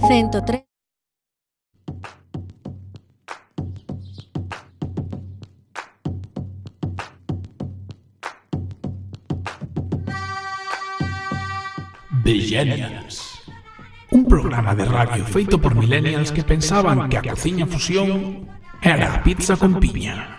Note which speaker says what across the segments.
Speaker 1: 103.
Speaker 2: Millennials. Un programa de radio feito por millennials que pensaban que a cociña fusión era a pizza con piña.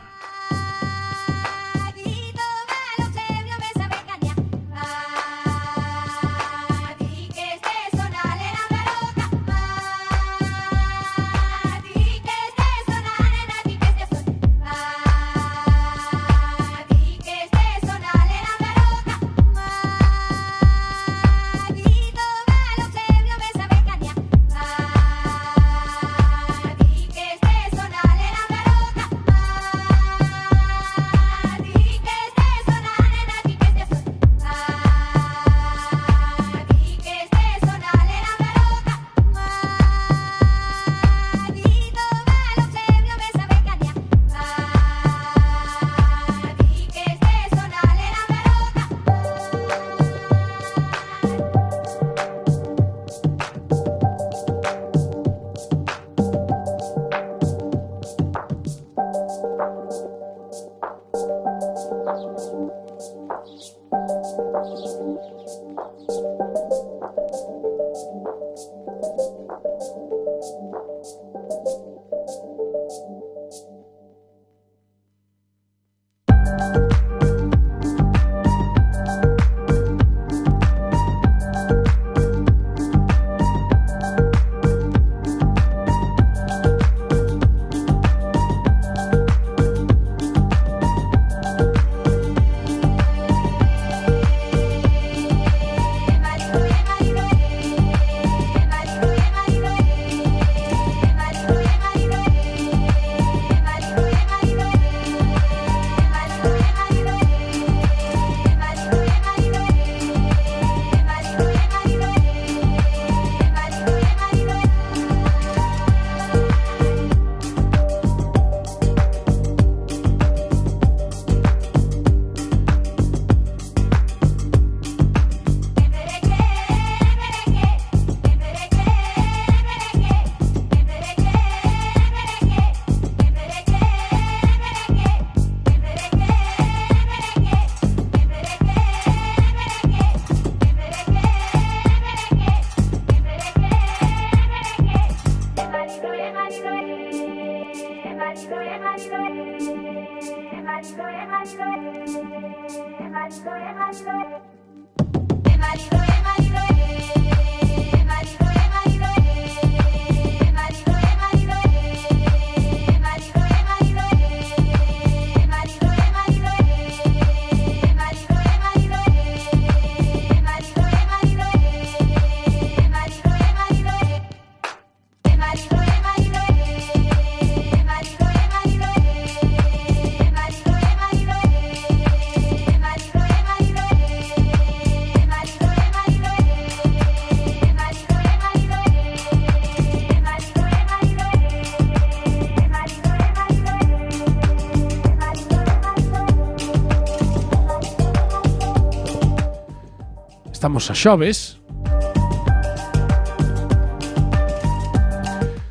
Speaker 2: Estamos a xoves.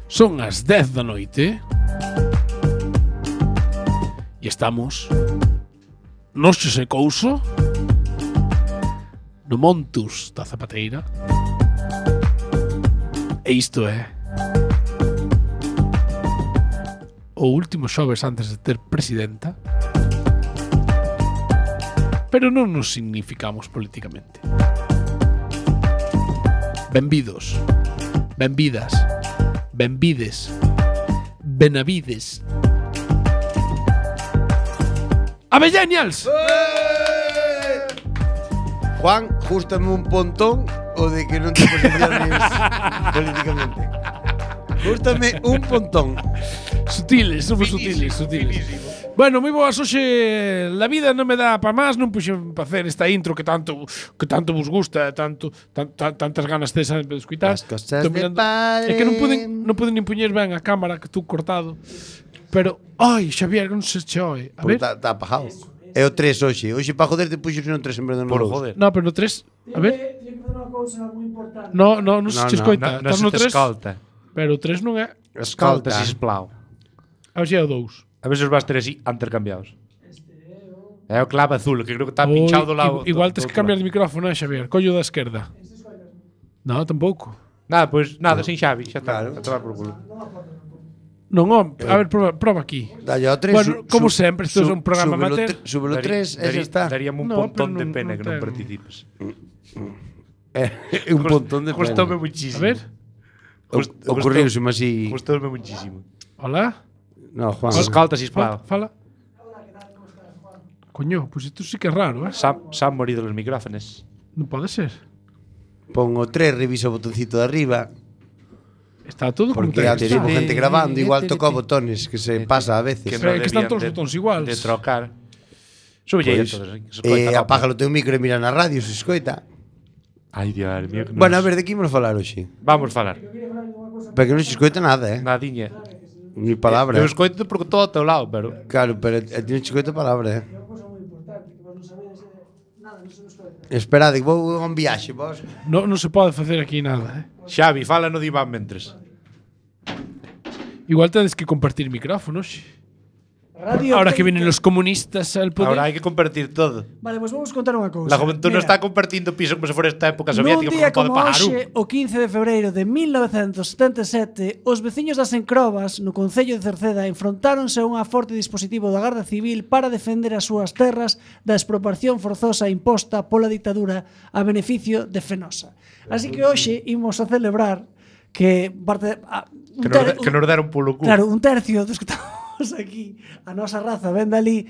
Speaker 2: Son as 10 da noite. E estamos no Xosé Couso, no Montus da Zapateira. E isto é o último xoves antes de ter presidenta. Pero non nos significamos políticamente. Benvidos, benvidas, benvides, benavides. ¡Avellenials!
Speaker 3: Juan, jústame un pontón o de que non te posiciones políticamente. Jústame un pontón.
Speaker 2: Sutiles, somos sutiles. Bueno, moi boas hoxe. La vida non me dá pa máis. Non puxen pa hacer esta intro que tanto vos gusta, tantas ganas tes de escuitar.
Speaker 3: As cosas de padre.
Speaker 2: É que non poden nin puñer ben a cámara que tú cortado. Pero, ai, Xavier, non se che oe. A ver.
Speaker 3: Está apagado. É o 3 hoxe. Hoxe para joder te puxes no 3 en vez de no 2.
Speaker 2: Por joder. No, pero no 3, a ver. No, non se che escoita.
Speaker 1: Non
Speaker 2: Estás no
Speaker 1: se te
Speaker 2: 3,
Speaker 1: escolta.
Speaker 2: pero o 3 non é.
Speaker 1: Escolta, sisplau.
Speaker 2: A ver se é o 2.
Speaker 1: A ver se os vas ter así intercambiados. É o clave azul, que creo que está pinchado do lado.
Speaker 2: Igual tes
Speaker 1: do
Speaker 2: que cambiar
Speaker 1: lado.
Speaker 2: de micrófono, Xavier. Collo da esquerda. No, tampouco.
Speaker 1: Nada, pois nada, sin Xavi, xa está.
Speaker 3: Claro.
Speaker 1: A tomar por culo.
Speaker 2: Non, a ver, proba aquí.
Speaker 3: Dalle ao 3.
Speaker 2: Bueno, como sempre, isto é un programa amateur.
Speaker 3: Súbelo 3 e xa está.
Speaker 1: Daríame un
Speaker 2: No,
Speaker 1: pontón
Speaker 2: pero
Speaker 1: de
Speaker 2: non-
Speaker 1: pena
Speaker 2: non
Speaker 1: que non
Speaker 2: ten.
Speaker 1: participes.
Speaker 3: É un pontón de pena.
Speaker 1: Costoume
Speaker 2: A
Speaker 1: muchísimo.
Speaker 2: ver.
Speaker 3: Ocurriuseme así.
Speaker 1: Costoume muchísimo.
Speaker 2: Hola.
Speaker 3: No, Juan.
Speaker 1: Escolta, sisplau.
Speaker 2: Fala. Coño, pues isto sí que é raro, eh?
Speaker 1: Se han morido los micrófonos.
Speaker 2: Non pode ser.
Speaker 3: Pon o 3, revisa o botoncito de arriba.
Speaker 2: Está todo como
Speaker 3: Porque
Speaker 2: ten que
Speaker 3: antes
Speaker 2: estar.
Speaker 3: hubo gente grabando, igual toca botones, que se pasa a veces.
Speaker 2: Pero é que están
Speaker 1: debían
Speaker 2: todos os botóns iguales.
Speaker 1: De trocar. Súbelle
Speaker 3: Pois,
Speaker 1: entonces. Que se escoita, no,
Speaker 3: apágalo teu micro e mira na radio, se escoita.
Speaker 1: Ai, Dios mío. que
Speaker 3: Bueno, a
Speaker 1: nos-
Speaker 3: ver, de que imos falar hoxe?
Speaker 1: Vamos falar.
Speaker 3: Pero que non se escoita nada,
Speaker 1: Nadiña.
Speaker 3: Ni palabra.
Speaker 1: Eu escoito porque todo ao teu lado, pero...
Speaker 3: Claro, pero ti non se escoita palabra, Esperade, que vou a un viaxe, vos.
Speaker 2: Non se pode facer aquí nada, eh?
Speaker 1: Xavi, fala no diván mentres.
Speaker 2: Igual tedes que compartir micrófonos. Ahora que vienen los comunistas al poder.
Speaker 1: Ahora hai que compartir todo.
Speaker 4: Vale, pues vamos contar unha cousa.
Speaker 1: La juventud non
Speaker 4: Mira,
Speaker 1: está compartindo piso como se fora esta época
Speaker 4: nun
Speaker 1: soviética
Speaker 4: día
Speaker 1: porque non pode
Speaker 4: como
Speaker 1: pagar un.
Speaker 4: hoxe, o 15 de febreiro de 1977, os veciños das Encrobas, no Concello de Cerceda, enfrontáronse a un forte dispositivo da Garda Civil para defender as súas terras da expropiación forzosa imposta pola dictadura a beneficio de Fenosa. Así que hoxe imos a celebrar que parte
Speaker 1: Que nos deron polo cu.
Speaker 4: Claro, un tercio dos que estamos aquí, a nosa raza ven dali,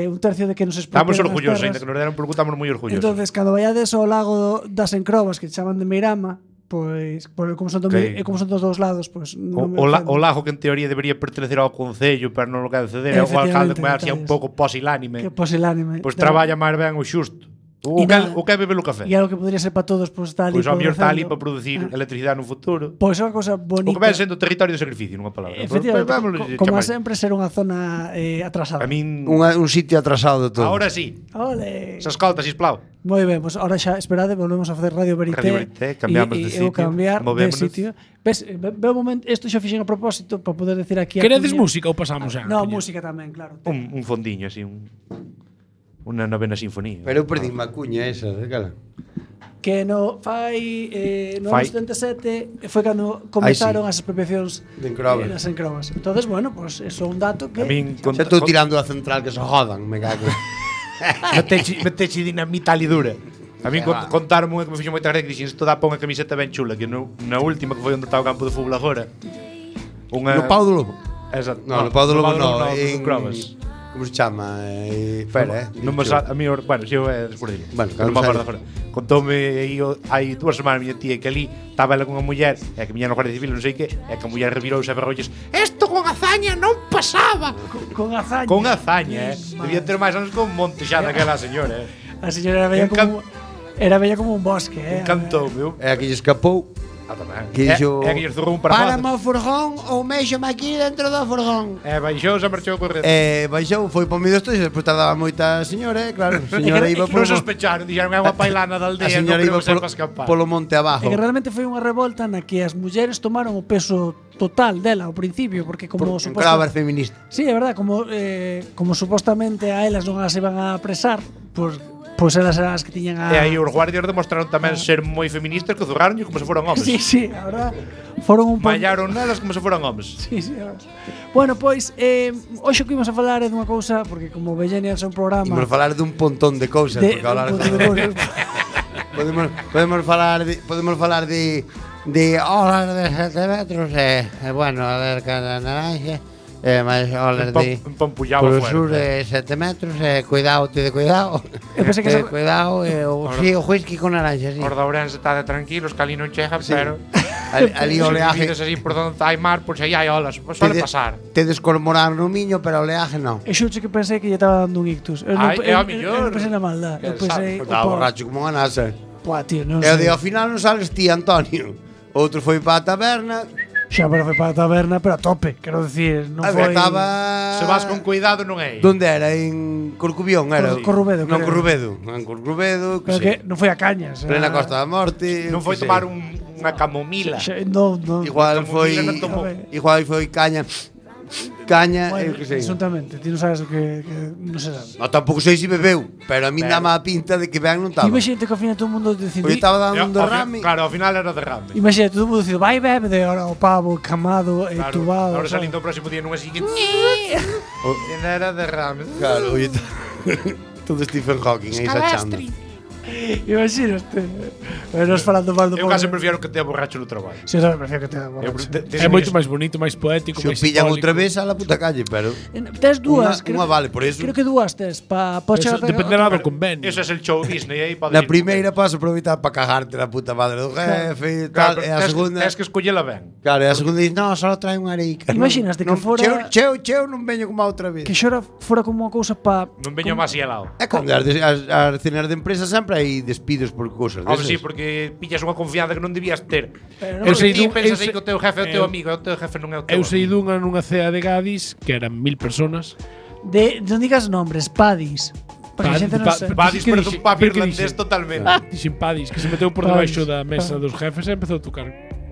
Speaker 4: un tercio de que nos expropiaron
Speaker 1: Estamos
Speaker 4: as
Speaker 1: orgullosos,
Speaker 4: terras.
Speaker 1: ainda que nos deron polo cu, estamos moi orgullosos.
Speaker 4: Entonces, cando vaiades ao lago das Encrobas, que chaman de Meirama, pois, como son, como son dos dous lados, pois non me ofende.
Speaker 1: O lago que en teoría debería pertenecer ao Concello, pero non lo quere ceder, o alcalde que vai así un pouco posilánime.
Speaker 4: Que posilánime.
Speaker 1: Pois traballa máis ben o xusto. O que bebe o café.
Speaker 4: E algo que podría ser para todos, pois está ali.
Speaker 1: Pois ao mellor está ali
Speaker 4: producendo.
Speaker 1: para producir electricidade no futuro.
Speaker 4: Pois é unha cosa
Speaker 1: O
Speaker 4: bonita.
Speaker 1: que ven sendo territorio de sacrificio, nunha palabra.
Speaker 4: Efectivamente, como
Speaker 1: chamar.
Speaker 4: sempre, ser unha zona atrasada.
Speaker 1: A min...
Speaker 3: Un sitio atrasado de todo.
Speaker 1: Ahora sí.
Speaker 4: Ole.
Speaker 1: Se escolta, sisplau.
Speaker 4: Moi ben, pois ahora xa, esperade, volvemos a facer Radio Verité.
Speaker 1: Radio Verité, cambiamos de
Speaker 4: eu
Speaker 1: sitio,
Speaker 4: cambiar de
Speaker 1: movémonos.
Speaker 4: sitio. Ves, ve un momento, isto xa fixen a propósito para poder decir aquí a
Speaker 2: Queredes
Speaker 4: Cuña.
Speaker 2: música ou pasamos xa?
Speaker 4: No,
Speaker 2: Cuña?
Speaker 4: música tamén, claro.
Speaker 1: Un fondiño, así, unha novena sinfonía.
Speaker 3: Pero eu perdi má cuña esa, cala.
Speaker 4: Que no no
Speaker 1: Fai.
Speaker 4: 77 foi cando comenzaron as expropiacións
Speaker 3: De Encrobas.
Speaker 4: das Encrobas. Entonces, bueno, pues eso é un dato que
Speaker 1: A min
Speaker 3: Xa estou tirando a central que se jodan, me cago.
Speaker 1: meteche dinamita ali dura. A min contaron unha que me fixo moita gracia que dixen isto dá pa unha camiseta ben chula, que na última que foi onde estaba o campo de fútbol agora.
Speaker 3: No Pau do Lobo.
Speaker 1: Exacto.
Speaker 3: No, no Pau do Lobo no,
Speaker 1: en Crobas.
Speaker 3: Como se chama? Espera,
Speaker 1: Non me a mí, bueno, si eu é por dilo.
Speaker 3: Bueno,
Speaker 1: non me
Speaker 3: cando
Speaker 1: acordo agora. Contoume aí hai 2 semanas miña tía que ali estaba ela con unha muller, e que miña no Guardia Civil, non sei que, e que a muller revirouse a berrolles. Isto con hazaña non pasaba.
Speaker 4: con hazaña.
Speaker 1: Con hazaña, debía ter máis anos con monte xa daquela señora,
Speaker 4: A señora era bella como un bosque,
Speaker 1: Encantou, meu.
Speaker 3: É a que lle escapou.
Speaker 1: tamén.
Speaker 3: Que dixo,
Speaker 1: É que lle zurrou un par
Speaker 3: párame
Speaker 1: de
Speaker 3: o furgón ou méxome aquí dentro do furgón.
Speaker 1: baixou, se marchou a correr.
Speaker 3: Baixou, foi para o medio isto e despois tardaba moita a señora, claro. A señora iba
Speaker 1: Non
Speaker 3: polo,
Speaker 1: sospecharon, dixeron é unha pailana da
Speaker 3: a
Speaker 1: aldea,
Speaker 3: señora
Speaker 1: non
Speaker 3: iba
Speaker 1: creo que sepa
Speaker 3: polo,
Speaker 1: escapar.
Speaker 3: polo monte abajo.
Speaker 4: E que realmente foi unha revolta na que as mulleres tomaron o peso total dela ao principio, porque como
Speaker 3: Encrobas feminista.
Speaker 4: Sí, é verdad, como supostamente a elas non as iban a apresar, pois elas eran as que tiñan a...
Speaker 1: E aí os guardias demostraron tamén ser moi feministas que zurraron como se foran homes.
Speaker 4: Sí, a verdad, foron un pouco...
Speaker 1: Mallaron nelas como se foran homes.
Speaker 4: Sí, a verdad. Bueno, pois, hoxe que imos a falar é dunha cousa, porque como Bellenias é un programa...
Speaker 3: Imos falar dun pontón de cousas, porque hablar
Speaker 4: un montón de cousas.
Speaker 3: podemos falar de olas de 7 metros bueno, a ver cada naranja máis olas de
Speaker 1: Empompujaba
Speaker 3: polo sur
Speaker 1: fuerte.
Speaker 3: de 7 metros cuidado, cuidado
Speaker 4: Eu pensei que
Speaker 3: cuidado o whisky con naranja sí.
Speaker 1: Os de Ourense está de tranquilos, que ali non chegan,
Speaker 3: Sí.
Speaker 1: pero
Speaker 3: ali
Speaker 1: se
Speaker 3: oleaje
Speaker 1: vivides así por donde hai mar, pois aí hai olas, pois suele pasar.
Speaker 3: tedes cormorán no miño pero oleaje non.
Speaker 4: E xuche que pensei que lle estaba dando un ictus. Eu
Speaker 1: Ai, é
Speaker 4: eu
Speaker 1: a mellor.
Speaker 4: non pensei na maldad. Eu
Speaker 1: Que
Speaker 4: pensei...
Speaker 3: Estaba borracho como unha nasa
Speaker 4: Pua, tío, non
Speaker 3: e o
Speaker 4: sei.
Speaker 3: de ao final non sales ti, Antonio. Outro foi para a taberna
Speaker 4: Xa, pero foi para a taberna, pero a tope, quero dicir, non
Speaker 3: A
Speaker 4: foi...
Speaker 3: ver, estaba...
Speaker 1: Se vas con cuidado non é.
Speaker 3: Donde era? En Corcubión, era?
Speaker 4: Corrubedo,
Speaker 3: Non,
Speaker 4: creo.
Speaker 3: Corrubedo. En Corrubedo,
Speaker 4: Pero que non foi a Cañas.
Speaker 3: Plena Costa da Morte.
Speaker 1: Non foi
Speaker 3: que sei.
Speaker 1: tomar unha camomila.
Speaker 4: Non.
Speaker 3: Igual foi...
Speaker 1: Camomila non tomou.
Speaker 3: Igual foi caña... Caña, eu
Speaker 4: Bueno,
Speaker 3: que sei.
Speaker 4: absolutamente, ti non sabes o que non se sabe.
Speaker 3: No, tampouco sei se bebeu, pero a mí dame a pinta de que ben non estaba.
Speaker 4: Imagínate que ao final todo o mundo decidiu.
Speaker 3: Porque estaba dando un
Speaker 1: Ao
Speaker 3: derrame.
Speaker 1: Claro, ao final era derrame.
Speaker 4: Imagínate, todo o mundo decidiu, vai bebe de ahora o pavo, camado,
Speaker 1: Claro,
Speaker 4: tubado.
Speaker 1: ahora
Speaker 4: sabes?
Speaker 1: salindo o próximo día nunha siguiente. Era derrame.
Speaker 3: Claro, oye, todo Stephen Hawking aí sachando.
Speaker 4: Imagínate. Nos falando mal do
Speaker 1: Eu case prefiero que tea borracho no traballo.
Speaker 4: Si, eu tamén prefiero que te
Speaker 1: Eu
Speaker 4: borracho.
Speaker 2: É moito máis bonito, máis poético,
Speaker 3: Se o
Speaker 2: máis
Speaker 3: pillan
Speaker 2: simbólico.
Speaker 3: outra vez a la puta calle, pero...
Speaker 4: Tes dúas.
Speaker 3: Unha vale, por eso.
Speaker 4: Creo que dúas tes. Pa
Speaker 2: Eso dependerá do convenio.
Speaker 1: Eso é el show Disney aí pode
Speaker 3: Na primeira podes aproveitar para cagarte na puta madre do jefe e tal, e a segunda...
Speaker 1: Tens que escollela ben.
Speaker 3: Claro, e a segunda dices, no, só trae unha areica.
Speaker 4: Imaginaste que fora-
Speaker 3: Cheo non veño como a outra vez.
Speaker 4: Que xora fora como unha cousa pa...
Speaker 1: Non veño máis helado.
Speaker 3: É cando as cenas de empresa sempre hai despidos por cousas
Speaker 1: Hombre,
Speaker 3: desas.
Speaker 1: sí, porque pillas unha confianza que non debías ter.
Speaker 2: Eu sei
Speaker 1: Ti
Speaker 2: dun-
Speaker 1: pensas
Speaker 2: eu
Speaker 1: aí
Speaker 2: sei-
Speaker 1: que o teu jefe é o teu
Speaker 2: eu-
Speaker 1: amigo, e o teu jefe non é o teu
Speaker 2: Eu sei
Speaker 1: amigo.
Speaker 2: nunha cea de Gadis, que eran 1000 personas.
Speaker 4: Non digas nombres, padis. Para que a xente non se...
Speaker 1: Badis
Speaker 2: Que
Speaker 1: pero
Speaker 2: dixe-
Speaker 1: un pub
Speaker 2: pero que
Speaker 1: irlandés
Speaker 2: dixe-
Speaker 1: totalmente.
Speaker 2: Dixen Padis, que se meteu por
Speaker 4: Padis.
Speaker 2: debaixo da mesa dos jefes e empezou a tocar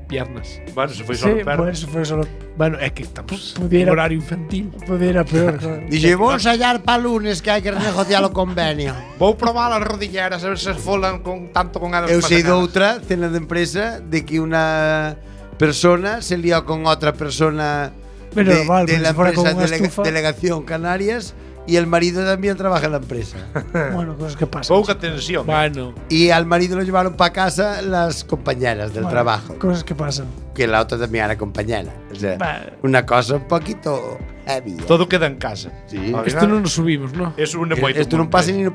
Speaker 2: piernas.
Speaker 1: Bueno, se foi só
Speaker 4: Sí,
Speaker 1: perro.
Speaker 4: por eso foi solo...
Speaker 2: Bueno, é que estamos
Speaker 4: Pudiera-
Speaker 2: en horario infantil.
Speaker 4: Pudiera peor, claro.
Speaker 3: Dixe, vou ensayar para lunes que hai que renegociar o convenio.
Speaker 1: Vou probar as rodilleras a ver se falan con tanto con elas.
Speaker 3: Eu
Speaker 1: como
Speaker 3: sei de
Speaker 1: sacadas.
Speaker 3: outra cena de empresa de que unha persona se lió con outra persona
Speaker 4: Pero
Speaker 3: de,
Speaker 4: normal,
Speaker 3: de
Speaker 4: porque
Speaker 3: la
Speaker 4: si fuera con
Speaker 3: empresa
Speaker 4: una estufa.
Speaker 3: Delegación Canarias y el marido también trabaja en la empresa.
Speaker 4: Bueno, cosas que pasan.
Speaker 1: Pouca tensión.
Speaker 2: Bueno,
Speaker 3: Y al marido lo llevaron para casa las compañeras del
Speaker 4: Bueno,
Speaker 3: trabajo,
Speaker 4: Cosas que pasan.
Speaker 3: que la otra también era compañera. O sea,
Speaker 4: Vale.
Speaker 3: una cosa un poquito heavy.
Speaker 1: Todo queda en casa.
Speaker 3: Sí.
Speaker 1: Ao
Speaker 2: esto
Speaker 1: final,
Speaker 2: non nos subimos, ¿no?
Speaker 1: es un moito.
Speaker 3: Esto non pasa ni no...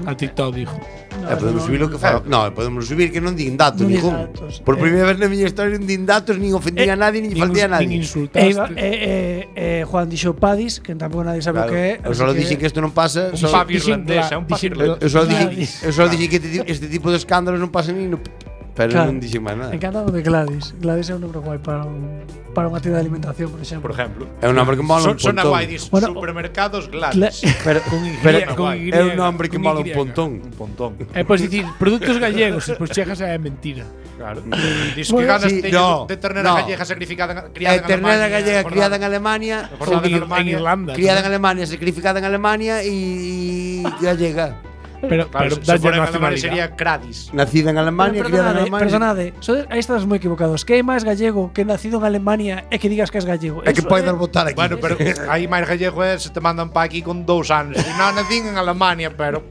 Speaker 2: A TikTok dijo.
Speaker 3: podemos subir lo que fa. No, podemos subir que non din datos,
Speaker 4: Non din
Speaker 3: ningún.
Speaker 4: datos.
Speaker 3: Por primeira vez na miña historia non din datos, nin ofendía a nadie, nin faltía a
Speaker 2: Nin
Speaker 3: nadie.
Speaker 2: insultaste.
Speaker 4: Juan dixo padis, que tampouco nadie sabe o
Speaker 3: Claro.
Speaker 4: que é.
Speaker 3: Eu só dixen que isto non pasa,
Speaker 1: Un
Speaker 3: só-
Speaker 1: pub irlandés, é un pub
Speaker 2: dixen-
Speaker 1: irlandés.
Speaker 3: eu só
Speaker 4: Gladys.
Speaker 3: dixen, eu só dixen que este tipo de escándalos non pasan nin no... Pero non dixen máis nada.
Speaker 4: Encantado de Gladys. Gladys é un nombre guai para unha tienda de alimentación, por exemplo.
Speaker 1: Por ejemplo.
Speaker 3: É un nombre que mola un
Speaker 1: Son
Speaker 3: pontón.
Speaker 1: aguaidis,
Speaker 4: Bueno,
Speaker 1: supermercados
Speaker 4: Gla-
Speaker 1: Gladys.
Speaker 3: Pero,
Speaker 2: Con Y,
Speaker 3: é un nombre que
Speaker 2: con
Speaker 3: mola un
Speaker 2: Y.
Speaker 3: pontón.
Speaker 1: Un pontón.
Speaker 2: E podes dicir produtos gallegos, e despois chegas a é mentira.
Speaker 1: Claro. Diz que
Speaker 4: Bueno,
Speaker 1: ganas
Speaker 3: sí,
Speaker 1: teño
Speaker 3: no,
Speaker 1: de ternera
Speaker 3: no.
Speaker 1: gallega sacrificada criada
Speaker 3: É
Speaker 1: en
Speaker 3: ternera
Speaker 1: Alemania.
Speaker 3: gallega
Speaker 1: Jornada-
Speaker 3: criada en Alemania,
Speaker 1: jornada en
Speaker 2: En
Speaker 1: Alemania.
Speaker 2: Irlanda.
Speaker 3: criada en Alemania, sacrificada en Alemania y gallega.
Speaker 2: Pero,
Speaker 1: Claro,
Speaker 2: pero
Speaker 1: se
Speaker 2: dalle
Speaker 1: fora en Alemania
Speaker 2: nacionalidade.
Speaker 1: sería Cradis.
Speaker 3: Nacida en Alemania, criada en
Speaker 4: perdonade,
Speaker 3: Alemania.
Speaker 4: aí estás moi equivocados. Que é máis gallego que nacido en Alemania e que digas que és gallego?
Speaker 3: É que
Speaker 4: Eso
Speaker 3: podes votar aquí.
Speaker 1: Bueno, pero aí máis gallego é se te mandan pa aquí con 2 anos. E non nacín en Alemania, pero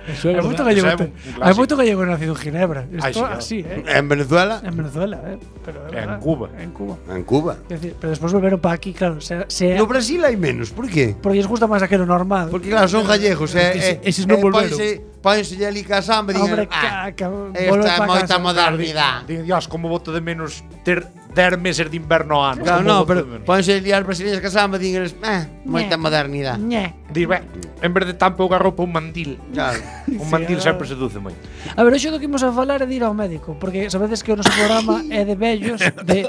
Speaker 2: Eso é
Speaker 4: Hai moito
Speaker 2: verdade.
Speaker 4: gallego.
Speaker 1: Eso é un clásico.
Speaker 4: Hai moito gallego nacido en Ginebra.
Speaker 1: Ai,
Speaker 4: Isto
Speaker 1: sí,
Speaker 4: así,
Speaker 3: En Venezuela,
Speaker 4: En Venezuela, pero é
Speaker 1: En
Speaker 4: verdad.
Speaker 1: Cuba.
Speaker 4: En Cuba.
Speaker 3: en Cuba.
Speaker 4: Quer decir, pero despois volveron para aquí, claro,
Speaker 3: No Brasil hai menos, por qué?
Speaker 4: porque lles gusta máis aquelo normal.
Speaker 3: Porque claro, son gallegos,
Speaker 2: eses non volveron.
Speaker 3: Pódense ali ca samba e
Speaker 4: Hombre,
Speaker 3: digan,
Speaker 4: volve
Speaker 3: esta é
Speaker 4: pa
Speaker 3: moita
Speaker 4: casa.
Speaker 3: modernidade.
Speaker 1: Dios, como voto de menos ter 10 meses de inverno ano.
Speaker 3: Claro,
Speaker 1: Como
Speaker 3: no,
Speaker 1: voto
Speaker 3: pero
Speaker 1: de menos.
Speaker 3: pódense liar brasileñas ca samba e digan, moita modernidade.
Speaker 4: Ñe.
Speaker 1: Dir, ben, en vez de tan pouca roupa un mandil.
Speaker 3: Claro.
Speaker 1: Un mandil
Speaker 4: ahora-
Speaker 1: sempre seduce moito.
Speaker 4: A ver, hoxe do que imos a falar é de ir ao médico, porque sabedes que o noso programa é de vellos, de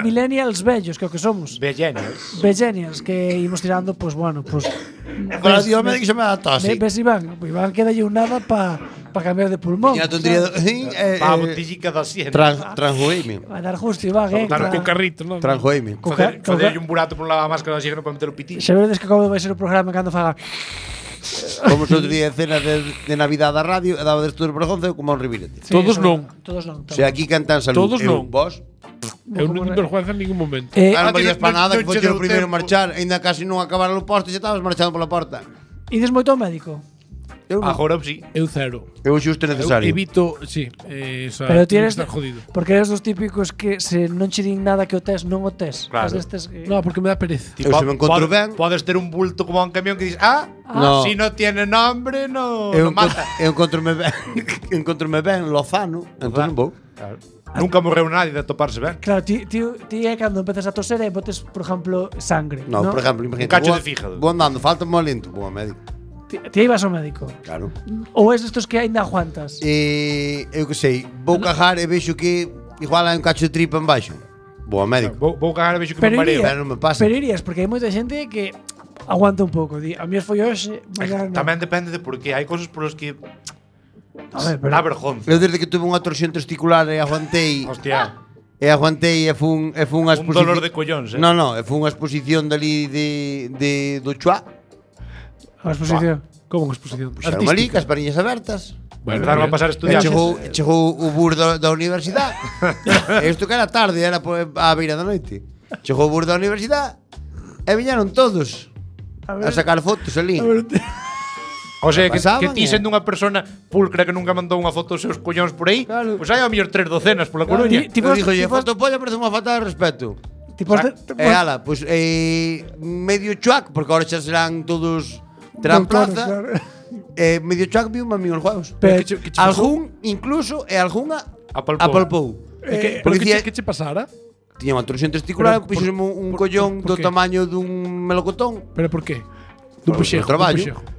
Speaker 4: millennials vellos, que é o que somos.
Speaker 1: Bellenials.
Speaker 4: Vegenials, que imos tirando, pues bueno, pues...
Speaker 3: Para Dios me que se me da tos.
Speaker 4: Ves Iván, pues Iván queda un nada para cambiar de pulmón.
Speaker 3: E a tontería
Speaker 1: Pa botellica da siena.
Speaker 3: Transjoime.
Speaker 4: Va a dar justo, Iván,
Speaker 2: Dar co carrito, non?
Speaker 3: Transjoime.
Speaker 1: Facer un burato por un lado a máscara da oxígeno para meter o pitín.
Speaker 4: Se vedes que acabo de vai ser o programa cando faga...
Speaker 3: Como outro día de cena de Navidad da radio, e daba destos Bergonza como un ribirete.
Speaker 4: Sí,
Speaker 2: Todos
Speaker 4: eso-
Speaker 2: non.
Speaker 4: Todos non.
Speaker 3: Se aquí cantan salud,
Speaker 2: Todos
Speaker 3: eu,
Speaker 2: non.
Speaker 3: vos,
Speaker 2: Eu non tive vergüenza en ningún momento.
Speaker 3: ah, non
Speaker 1: ti
Speaker 3: valías
Speaker 1: non-
Speaker 3: para nada,
Speaker 1: non
Speaker 3: que foi
Speaker 1: che
Speaker 3: o
Speaker 1: deu
Speaker 3: primeiro
Speaker 1: tempo.
Speaker 3: marchar, ainda casi non acabar o posto, xa estabas marchando pola porta.
Speaker 4: Ides moito ao médico?
Speaker 3: Eu non.
Speaker 1: Agora sí.
Speaker 2: Eu cero.
Speaker 3: Eu xusto
Speaker 2: Eu
Speaker 3: necesario.
Speaker 2: evito, sí, esa,
Speaker 4: Pero ti eres
Speaker 2: estar jodido.
Speaker 4: porque eres dos típicos que se non che din nada que o tes, non o tes.
Speaker 1: Claro.
Speaker 4: Es destes que...
Speaker 2: No, porque me da pereza.
Speaker 3: Eu se me encontro ben-
Speaker 1: Podes ter un bulto como un camión que dices,
Speaker 3: No.
Speaker 1: si no tiene nombre, no,
Speaker 3: Eu
Speaker 1: no mata.
Speaker 3: encontrome ben, encontrome ben Lozano, entón non vou.
Speaker 1: Claro. Nunca morreu nadie de toparse ben.
Speaker 4: Claro, ti é cando empezas a toser e botes, por exemplo, sangre.
Speaker 3: No, por exemplo, imagínate.
Speaker 1: Un cacho
Speaker 3: vou-
Speaker 1: de fígado.
Speaker 3: Vou andando, falta mo lento, vou ao médico.
Speaker 4: Ti ibas ao médico.
Speaker 3: Claro.
Speaker 4: Ou es destos que aínda aguantas.
Speaker 3: Eu que sei, vou cajar e vexo que igual hai un cacho de tripa en baixo. Vou ao médico.
Speaker 1: Vou cagar e vexo que
Speaker 4: Pero
Speaker 1: me mareo.
Speaker 3: Pero non me pasa.
Speaker 4: Pero irías, porque hai moita xente que aguanta un pouco. Di, a mí foi hoxe, mañana non.
Speaker 1: Tamén depende de por qué. Hai cosas por os que
Speaker 4: A ver, pero
Speaker 1: dá vergonza.
Speaker 3: Eu desde que tuve unha torsión testicular e aguantei
Speaker 1: Hostia.
Speaker 3: e fun unha
Speaker 1: Un
Speaker 3: exposición.
Speaker 1: dolor de collóns,
Speaker 3: No, fun unha exposición dali de do Chua.
Speaker 4: a exposición.
Speaker 2: Como unha exposición?
Speaker 3: Puxeron ali, cas pariñas abertas.
Speaker 1: Empezaron a pasar
Speaker 3: E
Speaker 1: estudiantes.
Speaker 3: chegou o bur da universidade. Isto que era tarde, era a beira da noite. Chegou o bur da universidade e viñeron todos a sacar fotos ali.
Speaker 1: O sea, que
Speaker 3: Pasaban,
Speaker 1: ti sendo unha persona pulcra que nunca mandou unha foto dos seus collóns por aí,
Speaker 3: Claro.
Speaker 1: pois hai ao mellor 3 docenas pola Coruña.
Speaker 4: Ti
Speaker 3: Eu
Speaker 4: pos-
Speaker 3: dixo,
Speaker 4: ti pos-
Speaker 3: foto polla parece unha falta de respeto.
Speaker 4: Tipo,
Speaker 3: E ala, pois medio chuac, porque ahora xa serán todos terán plaza. Medio chuac viu un amigo os juegos.
Speaker 4: Pero-
Speaker 2: que che pasou?
Speaker 3: Algún incluso e algunha
Speaker 1: Apalpou.
Speaker 3: apalpou.
Speaker 2: Pero
Speaker 3: Porque
Speaker 2: que
Speaker 3: dicía-
Speaker 2: che pasara?
Speaker 3: Tiña unha torsión testicular,
Speaker 2: Pero
Speaker 3: puxoseme un collón
Speaker 2: por
Speaker 3: do
Speaker 2: qué?
Speaker 3: tamaño dun melocotón.
Speaker 2: Pero por qué? Dun
Speaker 3: Por
Speaker 2: puxejo.
Speaker 3: traballo.
Speaker 2: Dun puxejo.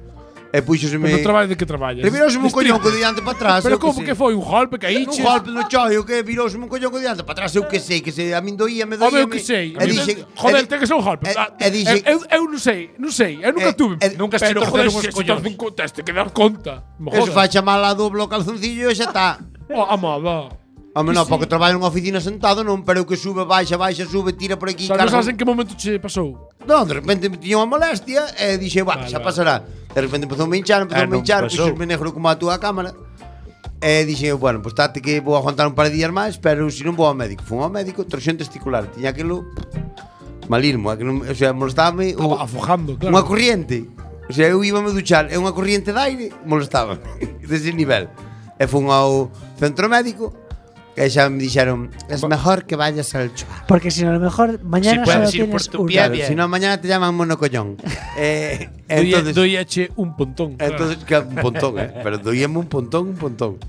Speaker 3: E puxoseme
Speaker 2: Pero no traballo de que traballas?
Speaker 3: Revirouseme un collón co diante para atrás.
Speaker 2: Pero
Speaker 3: eu
Speaker 2: como que
Speaker 3: sei.
Speaker 2: foi? Un golpe que
Speaker 3: Un
Speaker 2: caíches?
Speaker 3: golpe no choio que virouseme un collón co diante para atrás, eu que sei, que se a min doía, me
Speaker 2: Home,
Speaker 3: doía.
Speaker 2: eu que sei.
Speaker 3: E dixen,
Speaker 2: Joder, ten que ser un golpe.
Speaker 3: e dixen-
Speaker 2: Eu non sei. Eu nunca tuve.
Speaker 1: nunca se
Speaker 2: Pero,
Speaker 1: torceron
Speaker 2: joder,
Speaker 1: os
Speaker 2: se
Speaker 1: collóns.
Speaker 2: torce un tes que dar conta. Me
Speaker 3: eso
Speaker 2: jodas.
Speaker 3: fai chamar a doble o calzoncillo e xa está.
Speaker 2: Oh, amada.
Speaker 3: Home, non, porque traballo nunha oficina sentado, non, pero que sube, baixa, sube, tira por aquí,
Speaker 2: Sabes,
Speaker 3: carga.
Speaker 2: sabes en que momento che pasou?
Speaker 3: Non, de repente me tiña unha molestia e dixe,
Speaker 2: Vale,
Speaker 3: xa
Speaker 2: vale.
Speaker 3: pasará. De repente empezou a me hinchar,
Speaker 1: non pasou.
Speaker 3: puxosme negro como a túa cámara. E dixe, bueno, pues tate que vou aguantar un par de días máis, pero se non vou ao médico. Fun ao médico, torsión testicular. Tiña aquilo malirmo, que non, o sea, molestame
Speaker 2: Afojando, claro.
Speaker 3: unha corriente. O sea, eu íbame a duchar e unha corriente de aire molestaba dese nivel. E fun ao centro médico e xa me dixeron, es mejor que vayas al Chua.
Speaker 4: Porque si no, a lo mejor mañana
Speaker 1: Si
Speaker 4: solo
Speaker 1: puedes ir por
Speaker 4: tienes
Speaker 1: tu
Speaker 4: una.
Speaker 1: pie,
Speaker 3: Claro,
Speaker 1: bien.
Speaker 3: si no mañana te llaman monocollón. Entonces,
Speaker 2: Doíache un pontón.
Speaker 3: entonces que un pontón, pero doíame un pontón.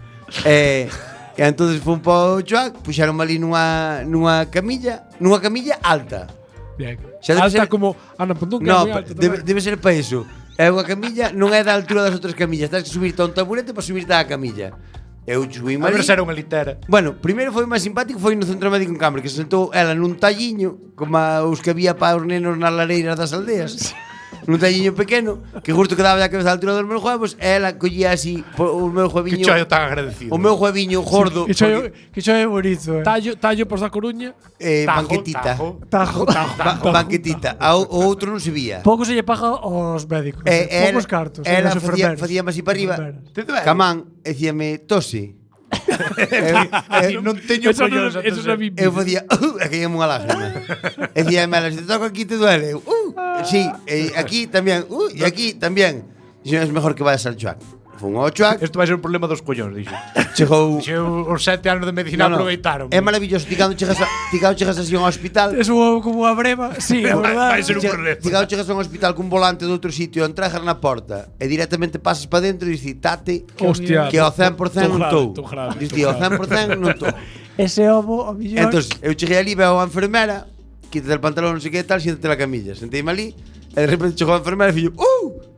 Speaker 3: E entonces fun po Chuac, puxeron ali nunha camilla alta.
Speaker 2: Bien.
Speaker 3: Xa debe
Speaker 2: Alta
Speaker 3: ser-
Speaker 2: como Ana Pontón, que é
Speaker 3: No,
Speaker 2: moi alta
Speaker 3: debe ser para iso. É unha camilla, non é da altura das outras camillas, tens que subirte a un taburete para subirte á camilla. Eu subí
Speaker 1: A ver
Speaker 3: ali.
Speaker 1: se era unha litera.
Speaker 3: Bueno, primeiro foi máis simpático foi no centro médico en Cambre, que se sentou ela nun talliño, como os que había para os nenos nas lareiras das aldeas. Nun talliño pequeno, que justo quedaba a cabeza a altura dos meus huevos, e ela collía así o meu
Speaker 1: Que
Speaker 3: hueviño,
Speaker 1: choio tan agradecido.
Speaker 3: o meu hueviño gordo,
Speaker 4: Que cho é bonito,
Speaker 2: Tallo por da Coruña.
Speaker 3: banquetita.
Speaker 4: Tajo.
Speaker 3: Banquetita. O outro non se vía.
Speaker 4: Pouco se lle paga aos médicos. Poucos cartos.
Speaker 3: Ela
Speaker 4: aos
Speaker 3: facía,
Speaker 4: enfermeros.
Speaker 3: facía así para arriba.
Speaker 4: Enfermeras.
Speaker 3: Camán, e dicíame, tose.
Speaker 1: Non teño
Speaker 2: Eso non
Speaker 1: collóns a
Speaker 2: eso
Speaker 1: toser.
Speaker 2: non vi.
Speaker 3: Eu facía, e caíame unha lágrima. E dicíame, ela, se te toco aquí te duele. Eu, sí, e aquí tamén, e aquí tamén. Dixo, es mejor que vayas al Chuac. Fun ao Chuac,
Speaker 1: Isto vai ser un problema dos collóns, dixo.
Speaker 3: chegou...
Speaker 1: Dixo, os 7 anos de medicina aproveitaron.
Speaker 3: É maravilloso, ti cando chegas así a un hospital,
Speaker 4: Es como unha breva. Sí, a verdade.
Speaker 1: Vai ser un problema.
Speaker 3: ti cando chegas a un hospital cun volante de outro sitio, entregas na porta e directamente pasas para dentro e dices, tate,
Speaker 2: Hostia.
Speaker 3: que ao 100% non estou.
Speaker 2: Tô grave.
Speaker 3: Dices, ao 100% non estou.
Speaker 4: Ese ovo, a millón.
Speaker 3: Entón, eu cheguei ali, veo a enfermera, quítate el pantalón, non sei que tal, siéntate na camilla. Senteime ali, e de repente chegou a enfermera e fixo,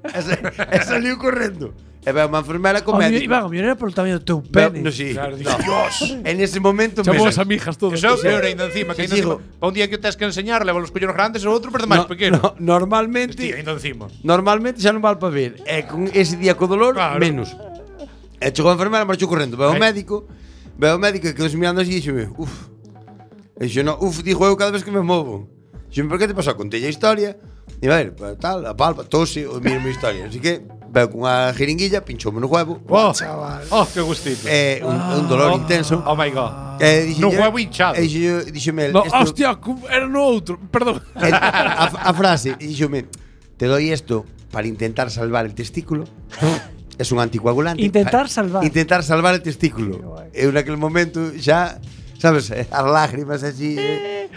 Speaker 3: e saliu correndo. E veo a enfermera co médico.
Speaker 4: Iván, a millón era polo tamaño do teu
Speaker 3: Veo-
Speaker 4: pene.
Speaker 3: No, sí.
Speaker 1: Claro,
Speaker 3: No.
Speaker 1: Dios.
Speaker 3: En ese momento
Speaker 2: Chamou
Speaker 3: me...
Speaker 2: as amigas todas.
Speaker 1: Eso é o peor ainda encima, que
Speaker 3: Sí,
Speaker 1: ainda
Speaker 3: digo.
Speaker 1: encima, pa un día que o tes que enseñar, leva os collóns grandes e o outro perde máis pequeno.
Speaker 3: Normalmente
Speaker 1: Hostia, ainda encima.
Speaker 3: Normalmente xa non vale para ver. E con ese día co dolor,
Speaker 1: Claro.
Speaker 3: menos. E chegou a enfermera, marchou correndo. Veo ao
Speaker 1: Ai.
Speaker 3: médico e quedou mirando así e dixome, E dixo, no, dijo eu cada vez que me movo. Dixo, por que te pasou? Contei a historia. E a ver, tal, a palpa, tose, o mira a miña historia. Así que, veo con unha jeringuilla, pinchoume no huevo.
Speaker 1: Oh, oh, que gustito.
Speaker 3: Un dolor intenso.
Speaker 1: Oh my god.
Speaker 3: Dixo,
Speaker 1: No huevo hinchado.
Speaker 3: E dixome,
Speaker 2: No, hostia, era no outro. Perdón.
Speaker 3: a frase, dixome, te doy esto para intentar salvar el testículo. Es un anticoagulante.
Speaker 4: Intentar salvar.
Speaker 3: Intentar salvar el testículo. Eu naquele momento xa, sabes, as lágrimas así.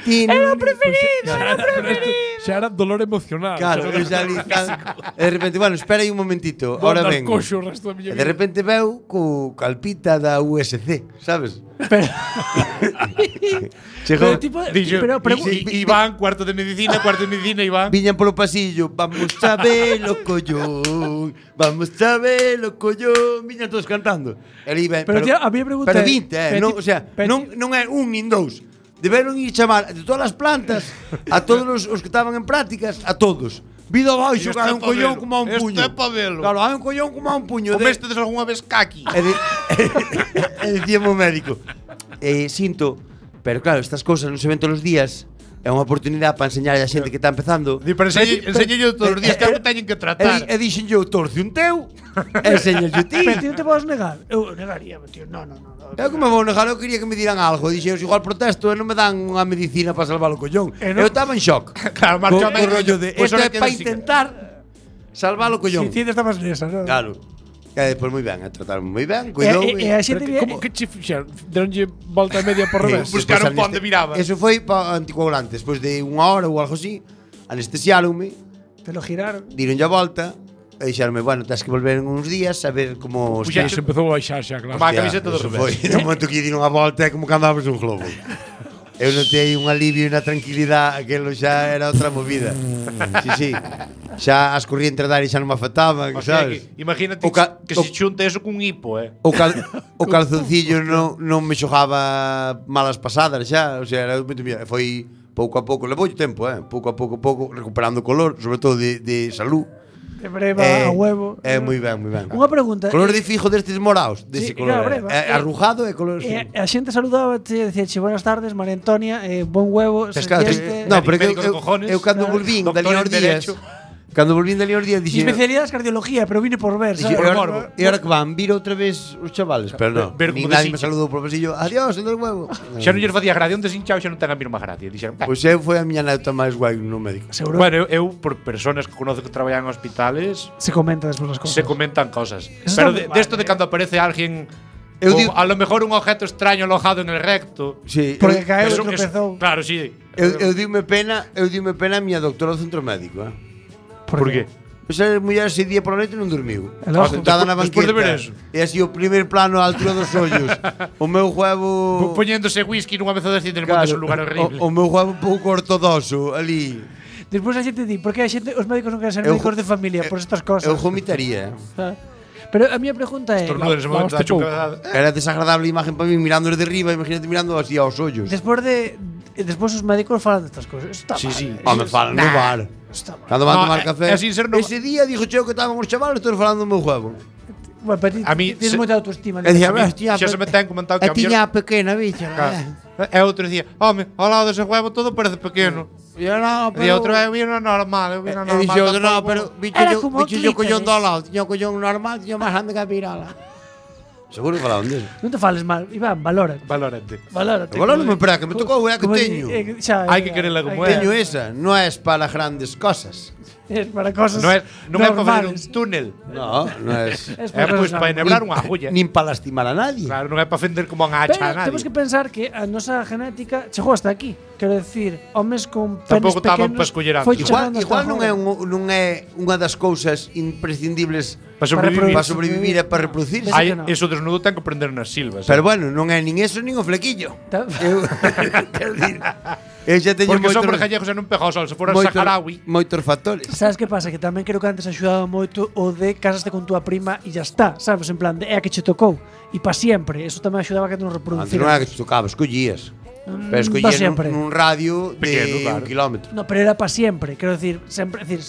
Speaker 4: Era o preferido, era o preferido.
Speaker 2: Xa era dolor emocional.
Speaker 3: Claro, eu xa ali de repente, bueno, espera aí un momentito,
Speaker 2: Vou
Speaker 3: ahora
Speaker 2: andar
Speaker 3: vengo.
Speaker 2: coxo o resto da miña
Speaker 3: E de
Speaker 2: vida.
Speaker 3: repente veu co calpita da USC, sabes?
Speaker 4: Pero,
Speaker 3: Chegou,
Speaker 4: pero tipo,
Speaker 1: Dixo,
Speaker 4: pero
Speaker 1: Iván, cuarto de medicina, Iván.
Speaker 3: viñan polo pasillo, vamos a verlo collón, vamos a verlo collón, viñan todos cantando. E ali ven,
Speaker 4: Pero, tío, a mí me pregunta
Speaker 3: pero
Speaker 4: é-
Speaker 3: 20,
Speaker 4: pero
Speaker 3: non,
Speaker 4: ti-
Speaker 3: o sea,
Speaker 4: pero
Speaker 3: non é un nin dous. Deberon ir chamar de todas as plantas a todos os que estaban en prácticas, a todos. Vida abaixo,
Speaker 1: Isto
Speaker 3: que hai
Speaker 1: é
Speaker 3: un
Speaker 1: pa
Speaker 3: collón
Speaker 1: velo.
Speaker 3: como a un
Speaker 1: Isto
Speaker 3: puño.
Speaker 1: é pa velo.
Speaker 3: Claro, hai un collón como a un puño.
Speaker 1: Comestes algunha vez caqui?
Speaker 3: E dicíamos o médico, sinto, pero claro, estas cousas non se ven todos os días. É unha oportunidade para enseñar a xente que está empezando.
Speaker 1: Di, pero enseño todos os días que algo teñen que tratar.
Speaker 3: E dixen yo, torce un teu, e enseñas yo ti.
Speaker 4: pero ti non te podes negar. Eu negaría, tío. No.
Speaker 3: Eu como vou negar, eu quería que me diran algo. Dixen, igual protesto e non me dan unha medicina para salvar o collón.
Speaker 4: E non-
Speaker 3: Eu estaba en shock.
Speaker 1: Claro,
Speaker 3: Co
Speaker 1: marcha o médico.
Speaker 3: rollo de,
Speaker 1: Pois
Speaker 3: isto
Speaker 1: ahora
Speaker 3: é
Speaker 1: queda
Speaker 3: para
Speaker 1: así.
Speaker 3: intentar salvar o collón.
Speaker 4: Si ti estabas nesa, non?
Speaker 3: Claro. E despois moi ben, trataron moi ben,
Speaker 4: E
Speaker 3: cuidoume.
Speaker 4: a
Speaker 2: Pero
Speaker 4: xente
Speaker 2: como que che fixeron? Deronlle volta e media por revés.
Speaker 1: Buscaron
Speaker 3: Despois
Speaker 1: pa onde miraba.
Speaker 3: Eso foi para anticoagulante. Despois de unha hora ou algo así, anestesiáronme,
Speaker 4: Te lo giraron.
Speaker 3: dironlle a volta e dixeronme, bueno, tens que volver en uns días a ver como
Speaker 1: Pois
Speaker 2: Xa
Speaker 1: xa
Speaker 2: se empezou a baixar xa, claro.
Speaker 1: Má camiseta do
Speaker 3: eso
Speaker 1: revés.
Speaker 3: foi. No momento que diron a volta é como que andabas un globo. Eu notei un alivio e unha tranquilidade, aquelo xa era outra movida. Sí. Xa as corrientes de aire xa non me afectaban,
Speaker 1: O sea,
Speaker 3: sabes?
Speaker 1: que, imagínate que se xunte eso cun hipo,
Speaker 3: O calzoncillo non me xogaba malas pasadas xa, o sea, era moito mira, foi pouco a pouco, levou tempo, pouco a pouco recuperando o color, sobre todo de salud.
Speaker 4: De breva a huevo.
Speaker 3: Moi ben, moi ben.
Speaker 4: Unha pregunta.
Speaker 3: Color de fijo destes moraos, dese
Speaker 4: Sí,
Speaker 3: color.
Speaker 4: claro, breva.
Speaker 3: Arrujado e color.
Speaker 4: A xente saludaba e dicíache buenas tardes, María Antonia, bon huevo,
Speaker 3: Tes claro,
Speaker 4: este,
Speaker 3: no, pero
Speaker 1: médico de cojones,
Speaker 3: eu cando
Speaker 4: claro.
Speaker 3: volvín
Speaker 1: Doctor
Speaker 3: dali
Speaker 1: en
Speaker 3: aos días,
Speaker 1: Derecho.
Speaker 3: cando volvín dali aos días
Speaker 4: Mi
Speaker 3: dixen,
Speaker 4: especialidade é cardiología, pero vine por ver,
Speaker 3: dixen,
Speaker 4: sabes?
Speaker 3: e ahora que van, vir outra vez os chavales, pero non,
Speaker 1: ver
Speaker 3: ni
Speaker 1: como
Speaker 3: nadie me
Speaker 1: deshincha.
Speaker 3: saludou por pasillo, adiós, el del huevo.
Speaker 1: Xa non lles facía gracia, un desinchao xa non ten a mesma gracia. Dixeron,
Speaker 3: Pois eu foi a miña neta máis guai no médico.
Speaker 4: Seguro
Speaker 1: bueno, eu por personas que conozo que traballan en hospitales
Speaker 4: se comenta despois as cosas.
Speaker 1: se comentan cosas.
Speaker 4: Eso
Speaker 1: Pero
Speaker 4: está
Speaker 1: de esto de cando aparece alguén
Speaker 3: Eu
Speaker 1: o
Speaker 3: digo-
Speaker 1: a lo mejor un objeto extraño alojado en el recto.
Speaker 3: Sí,
Speaker 4: Porque caeu e
Speaker 1: Eso-
Speaker 4: tropezou.
Speaker 1: Claro, sí.
Speaker 3: eu diume pena a miña doctora do centro médico,
Speaker 1: Por qué?
Speaker 3: Esa muller ese día por la noite non dormiu.
Speaker 4: E logo?
Speaker 3: Sentada na
Speaker 1: Despois de
Speaker 3: banqueta.
Speaker 1: ver eso.
Speaker 3: E así o primer plano á altura dos ollos. O meu huevo...
Speaker 1: Poñéndose whisky nunha mesa desde del mundo é un lugar horrible.
Speaker 3: O meu huevo un pouco ortodoxo ali.
Speaker 4: Despois a xente di, por que a xente, os médicos non queren ser
Speaker 3: Eu-
Speaker 4: médicos de familia por estas cosas?
Speaker 3: Eu vomitaría.
Speaker 4: Ah. Pero a miña pregunta é,
Speaker 1: Estornudo nese momento,
Speaker 2: Vamos
Speaker 1: te
Speaker 2: pouco.
Speaker 3: Era desagradable a imagen para mí mirando desde arriba, imagínate mirando así aos ollos.
Speaker 4: despois os médicos falan destas cousas. Eso está
Speaker 1: Sí,
Speaker 4: mal.
Speaker 1: sí.
Speaker 3: Home, falan no bar.
Speaker 4: Está mal.
Speaker 3: Cando van
Speaker 1: No,
Speaker 3: tomar
Speaker 1: é-
Speaker 3: café.
Speaker 1: é sin ser no-
Speaker 3: Ese día dixo Cheo que estaban os chavales todos falando do meu huevo.
Speaker 4: Bueno, pero ti,
Speaker 1: A mí
Speaker 4: tienes
Speaker 1: se-
Speaker 4: moita autoestima.
Speaker 3: E dicía,
Speaker 4: Dicía,
Speaker 3: hostia,
Speaker 1: xa se me ten comentado que a
Speaker 3: tiña pequena, bicho.
Speaker 1: E outro dicía, home, ao lado dese huevo todo parece pequeno.
Speaker 3: E eu no,
Speaker 1: E outro é vino normal, eu vino normal.
Speaker 3: E dixo, no,
Speaker 1: tampouco".
Speaker 3: pero
Speaker 4: Era como
Speaker 3: bicho yo collón
Speaker 4: clítoris.
Speaker 3: do lado, tiña o collón normal, tiña máis grande que a pirola. Seguro que falaban deso.
Speaker 4: non te fales mal, Iván, valórate.
Speaker 1: Valórate.
Speaker 4: Valórate.
Speaker 3: Agora non me espera, que me tocou, é que
Speaker 4: Como
Speaker 3: teño.
Speaker 1: Hai que querela como é.
Speaker 3: Teño esa, non é para grandes cosas.
Speaker 4: Es para cosas
Speaker 1: Non é para fazer un
Speaker 4: normales.
Speaker 1: túnel.
Speaker 3: No, non é.
Speaker 4: Es
Speaker 1: É pois para enebrar unha agulla.
Speaker 3: Nin para lastimar a nadie.
Speaker 1: Claro, non é para fender como unha
Speaker 4: Pero
Speaker 1: hacha a nadie.
Speaker 4: temos que pensar que a nosa genética chegou hasta aquí. Quero decir, homes con penes
Speaker 1: Tampouco estaban
Speaker 4: pequenos
Speaker 1: pa escoller antes.
Speaker 4: foi
Speaker 3: Igual,
Speaker 4: chegando hasta
Speaker 3: igual non é
Speaker 4: agora.
Speaker 3: non é unha das cousas imprescindibles
Speaker 1: Para sobrevivir.
Speaker 3: para sobrevivir e para reproducirse.
Speaker 4: Ai,
Speaker 1: Hai
Speaker 4: que no.
Speaker 1: eso desnudo ten que prender nas silvas.
Speaker 3: Pero bueno, non é nin eso nin o flequillo.
Speaker 4: Ta-
Speaker 3: Eu, quero dicir, eu xa teño
Speaker 1: Porque son
Speaker 3: moitos,
Speaker 1: gallegos e non pega ao sol, se fora
Speaker 3: moitos,
Speaker 1: saharaui.
Speaker 3: moitos factores.
Speaker 4: Sabes que pasa? Que tamén creo que antes axudaba moito o de casaste con túa prima e ya está, sabes? En plan, de, é a que che tocou. E pa siempre. Eso tamén axudaba a que non
Speaker 3: Antes
Speaker 4: reproducira.
Speaker 3: non era que te tocaba, escollías. Pero
Speaker 4: pa
Speaker 3: escollías
Speaker 4: siempre.
Speaker 3: nun radio
Speaker 1: Pequeno,
Speaker 3: de
Speaker 1: claro.
Speaker 3: 1 kilómetro.
Speaker 4: No, pero era pa siempre. Quero decir, sempre, decir,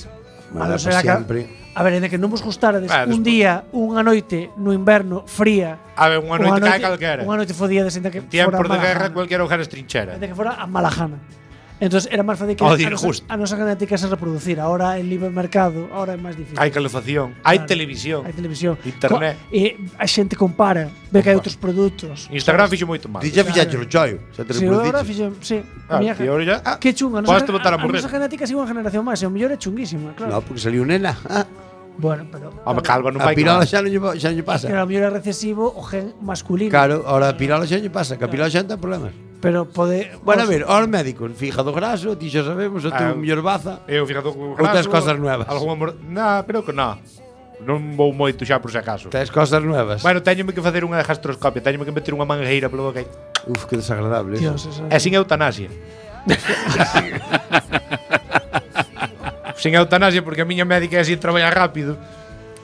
Speaker 3: Bueno,
Speaker 4: a non
Speaker 3: pa
Speaker 4: ser a que-
Speaker 3: siempre.
Speaker 4: A ver, en que non vos gustarades
Speaker 1: Ah,
Speaker 4: un
Speaker 1: despois-
Speaker 4: día, unha noite no inverno fría.
Speaker 1: A ver, unha noite cae calquera.
Speaker 4: Unha noite fodía de que
Speaker 1: Tiempos
Speaker 4: fora
Speaker 1: de guerra,
Speaker 4: Malajana.
Speaker 1: cualquier hogar es trinchera.
Speaker 4: De que fora a Malajana. Entonces era máis fácil que
Speaker 1: Oh, dir
Speaker 4: a, nosa,
Speaker 1: justo.
Speaker 4: a nosa genética se reproducir. Ahora en libre mercado, ahora é máis difícil.
Speaker 1: Hai calefacción, hai
Speaker 4: Claro.
Speaker 1: televisión.
Speaker 4: Hai televisión.
Speaker 1: Internet.
Speaker 4: E a xente compara, ve que hai outros produtos.
Speaker 1: Instagram fixo moito mal.
Speaker 3: Ti xa fixaste o choio, xa te
Speaker 4: Sí, agora
Speaker 3: reproduciches.
Speaker 4: fixo, sí.
Speaker 1: Ah,
Speaker 4: A miña
Speaker 1: e ahora ya-
Speaker 4: que chunga,
Speaker 1: Podes botar a morrer.
Speaker 4: nosa genética sigue unha generación máis, e o mellor é chunguísima, claro.
Speaker 3: No, porque saliu nena.
Speaker 4: Bueno, pero
Speaker 1: Home, calvo non
Speaker 3: A
Speaker 1: vai.
Speaker 3: pirola
Speaker 1: colar.
Speaker 3: xa non lle pasa.
Speaker 4: que a mellor é recesivo o gen masculino.
Speaker 3: Claro, ahora a pirola xa lle pasa, que a pirola xa non ten problemas.
Speaker 4: Pero pode...
Speaker 3: Bueno, a ver, aos médicos, fígado graso, ti xa sabemos, o teu mellor baza.
Speaker 1: Eu fíjate con
Speaker 3: Ou tes cosas nuevas?
Speaker 1: Creo que non. Non vou moito xa por se acaso.
Speaker 3: Tes cosas nuevas.
Speaker 1: Bueno, teñome que facer unha gastroscopia, teñome que meter unha mangueira polo boca.
Speaker 3: Uf, que desagradable.
Speaker 4: Dios, eso.
Speaker 1: E sin eutanasia. Sin eutanasia porque a miña médica é así traballa rápido.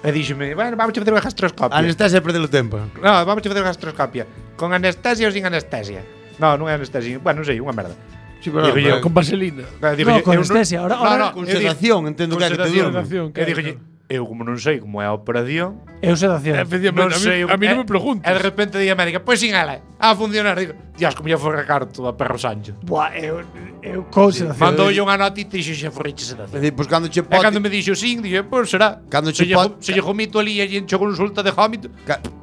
Speaker 1: E díxeme, bueno, vamos a facer unha gastroscopia.
Speaker 3: Anestesia perdelo tempo.
Speaker 1: No, vamos a facer unha gastroscopia. Con anestesia ou sin anestesia? No, non é anestesia. Bueno, non sei, unha merda.
Speaker 3: Sí, pero
Speaker 1: Digo yo,
Speaker 2: Con vaselina.
Speaker 4: No, con anestesia. Ahora
Speaker 3: con sedación, entendo que é que te durmo.
Speaker 1: E dixo, eu como non sei como é a operación,
Speaker 4: eu sedación.
Speaker 2: Efectivamente, a mí non me preguntes.
Speaker 1: E de repente di a médica, pois sin ela, a funcionar. Digo, Dios, como lle foi recarto a Perro Sánchez.
Speaker 4: Buah, eu con sedación.
Speaker 1: Mandoulle unha notita e dixo, xa forriche
Speaker 3: É
Speaker 1: sedación.
Speaker 3: dicir, pois cando che
Speaker 1: E cando
Speaker 3: pote,
Speaker 1: me dixo sin, dixo, pois será.
Speaker 3: Cando
Speaker 1: se
Speaker 3: che
Speaker 1: lle
Speaker 3: pot-
Speaker 1: se lle jomito ali e lle encho consulta de jómito.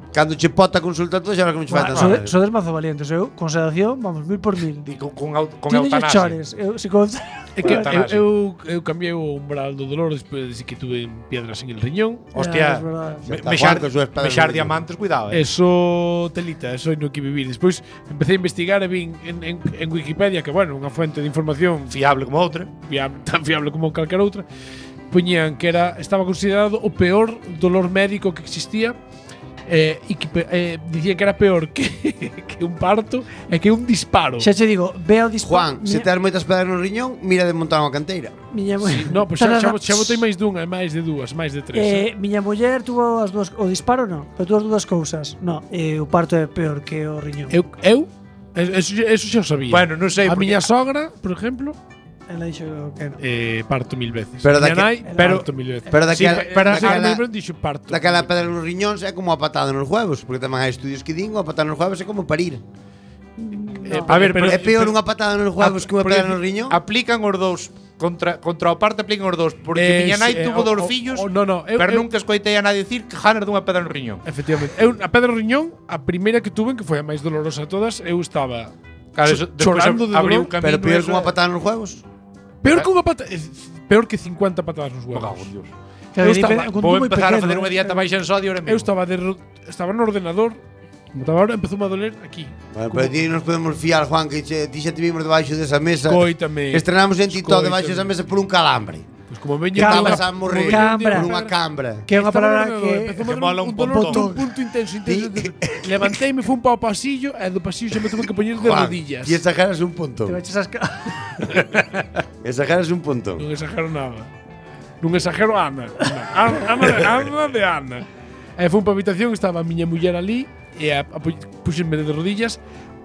Speaker 3: cando che pota a consulta todo, xa verás como che fai tan nada.
Speaker 4: Sodes mazo valientes. Eu con sedación, vamos, 1000 por 1000.
Speaker 1: Di, con
Speaker 4: Ti non lle
Speaker 1: eutanasia.
Speaker 4: chores. Eu, si con...
Speaker 2: É que
Speaker 1: Eutanasia.
Speaker 2: eu cambiei o umbral do dolor despois de que tuve piedras en el riñón.
Speaker 1: Hostia,
Speaker 4: Es verdad.
Speaker 3: Está Juan con súas pedras
Speaker 1: mexar
Speaker 3: no
Speaker 1: diamantes, cuidado,
Speaker 2: Eso telita, eso no que vivir. Despois empecé a investigar e vin en Wikipedia, que bueno, unha fuente de información
Speaker 1: Fiable como outra.
Speaker 2: tan fiable como calquera outra, poñían que estaba considerado o peor dolor médico que existía. E que dicían que era peor que un parto e que un disparo.
Speaker 4: Xa che digo, ve ao disparo.
Speaker 3: Juan, se tes moitas pedras no riñón, mira de montar unha canteira.
Speaker 4: Miña
Speaker 2: No, pois xa botei máis dunha, máis de dúas, máis de tres.
Speaker 4: Miña muller tuvo as dúas, o disparo non, pero tuvo as dúas cousas. No, o parto é peor que o riñón.
Speaker 2: Eso xa o sabía.
Speaker 1: Bueno, non sei,
Speaker 2: A
Speaker 1: porque-
Speaker 2: miña sogra, por exemplo,
Speaker 4: Ela dixo que non.
Speaker 2: parto 1000 veces.
Speaker 3: Pero
Speaker 2: Miña
Speaker 3: daque-
Speaker 2: nai,
Speaker 1: pero-
Speaker 2: parto 1000 veces.
Speaker 3: Pero
Speaker 1: Sí,
Speaker 3: daquela,
Speaker 1: pero-
Speaker 3: daquela,
Speaker 2: dixo parto.
Speaker 3: daquela pedra nos riñóns é como a patada nos huevos, porque tamén hai estudios que din que a patada nos huevos é como parir.
Speaker 1: A ver, pero
Speaker 3: É peor unha patada nos huevos que unha
Speaker 1: porque
Speaker 3: pedra no riñón.
Speaker 1: Aplican os dous contra o parte aplican os dous, porque miña nai tuvo dous fillos.
Speaker 2: No,
Speaker 1: Pero nunca escoitei a nadie dicir que ganas dunha pedra no riñón.
Speaker 2: Efectivamente. A pedra do riñón, a primeira que tuve, que foi a máis dolorosa de todas, eu estaba
Speaker 1: Claro, eso, despois
Speaker 2: chorando de
Speaker 1: abriu
Speaker 2: dolor.
Speaker 1: camino.
Speaker 3: Pero peor que
Speaker 1: eso
Speaker 3: unha
Speaker 1: é-
Speaker 3: patada nos huevos.
Speaker 2: Peor que unha peor que 50 patadas nos
Speaker 1: Me
Speaker 2: huevos.
Speaker 1: cago en Dios.
Speaker 4: Que
Speaker 2: Eu
Speaker 4: depende-
Speaker 2: estaba-
Speaker 4: con
Speaker 1: Vou
Speaker 4: tú moi
Speaker 1: empezar a
Speaker 4: pequeno,
Speaker 1: facer unha dieta baixa en sodio ahora
Speaker 2: Eu
Speaker 1: mesmo.
Speaker 2: estaba no ordenador, como estaba ahora, empezou a doler aquí.
Speaker 3: Bueno, pero ti nos podemos fiar, Juan, que ti xa te vimos debaixo desa mesa.
Speaker 2: Coítame.
Speaker 3: Estrenamos en TikTok
Speaker 2: Coítame.
Speaker 3: debaixo desa mesa por un calambre.
Speaker 2: Pois como veña
Speaker 4: Cambra.
Speaker 3: Estabas a morrer
Speaker 4: Cambra.
Speaker 3: por unha cambra.
Speaker 4: Que é unha palabra que
Speaker 1: Que mola un
Speaker 2: dolor
Speaker 1: pontón.
Speaker 2: un punto intenso. Levanteime, fui un pau ao pasillo e do pasillo xa me tuve que poñer de
Speaker 3: Juan,
Speaker 2: rodillas.
Speaker 3: ti exageras un
Speaker 4: te
Speaker 3: punto.
Speaker 4: baches as
Speaker 3: Exageras un punto.
Speaker 2: Non exagero nada. Non exagero a Ana. Ana de Ana. E foi para a habitación, estaba a miña muller ali e puxenme de rodillas,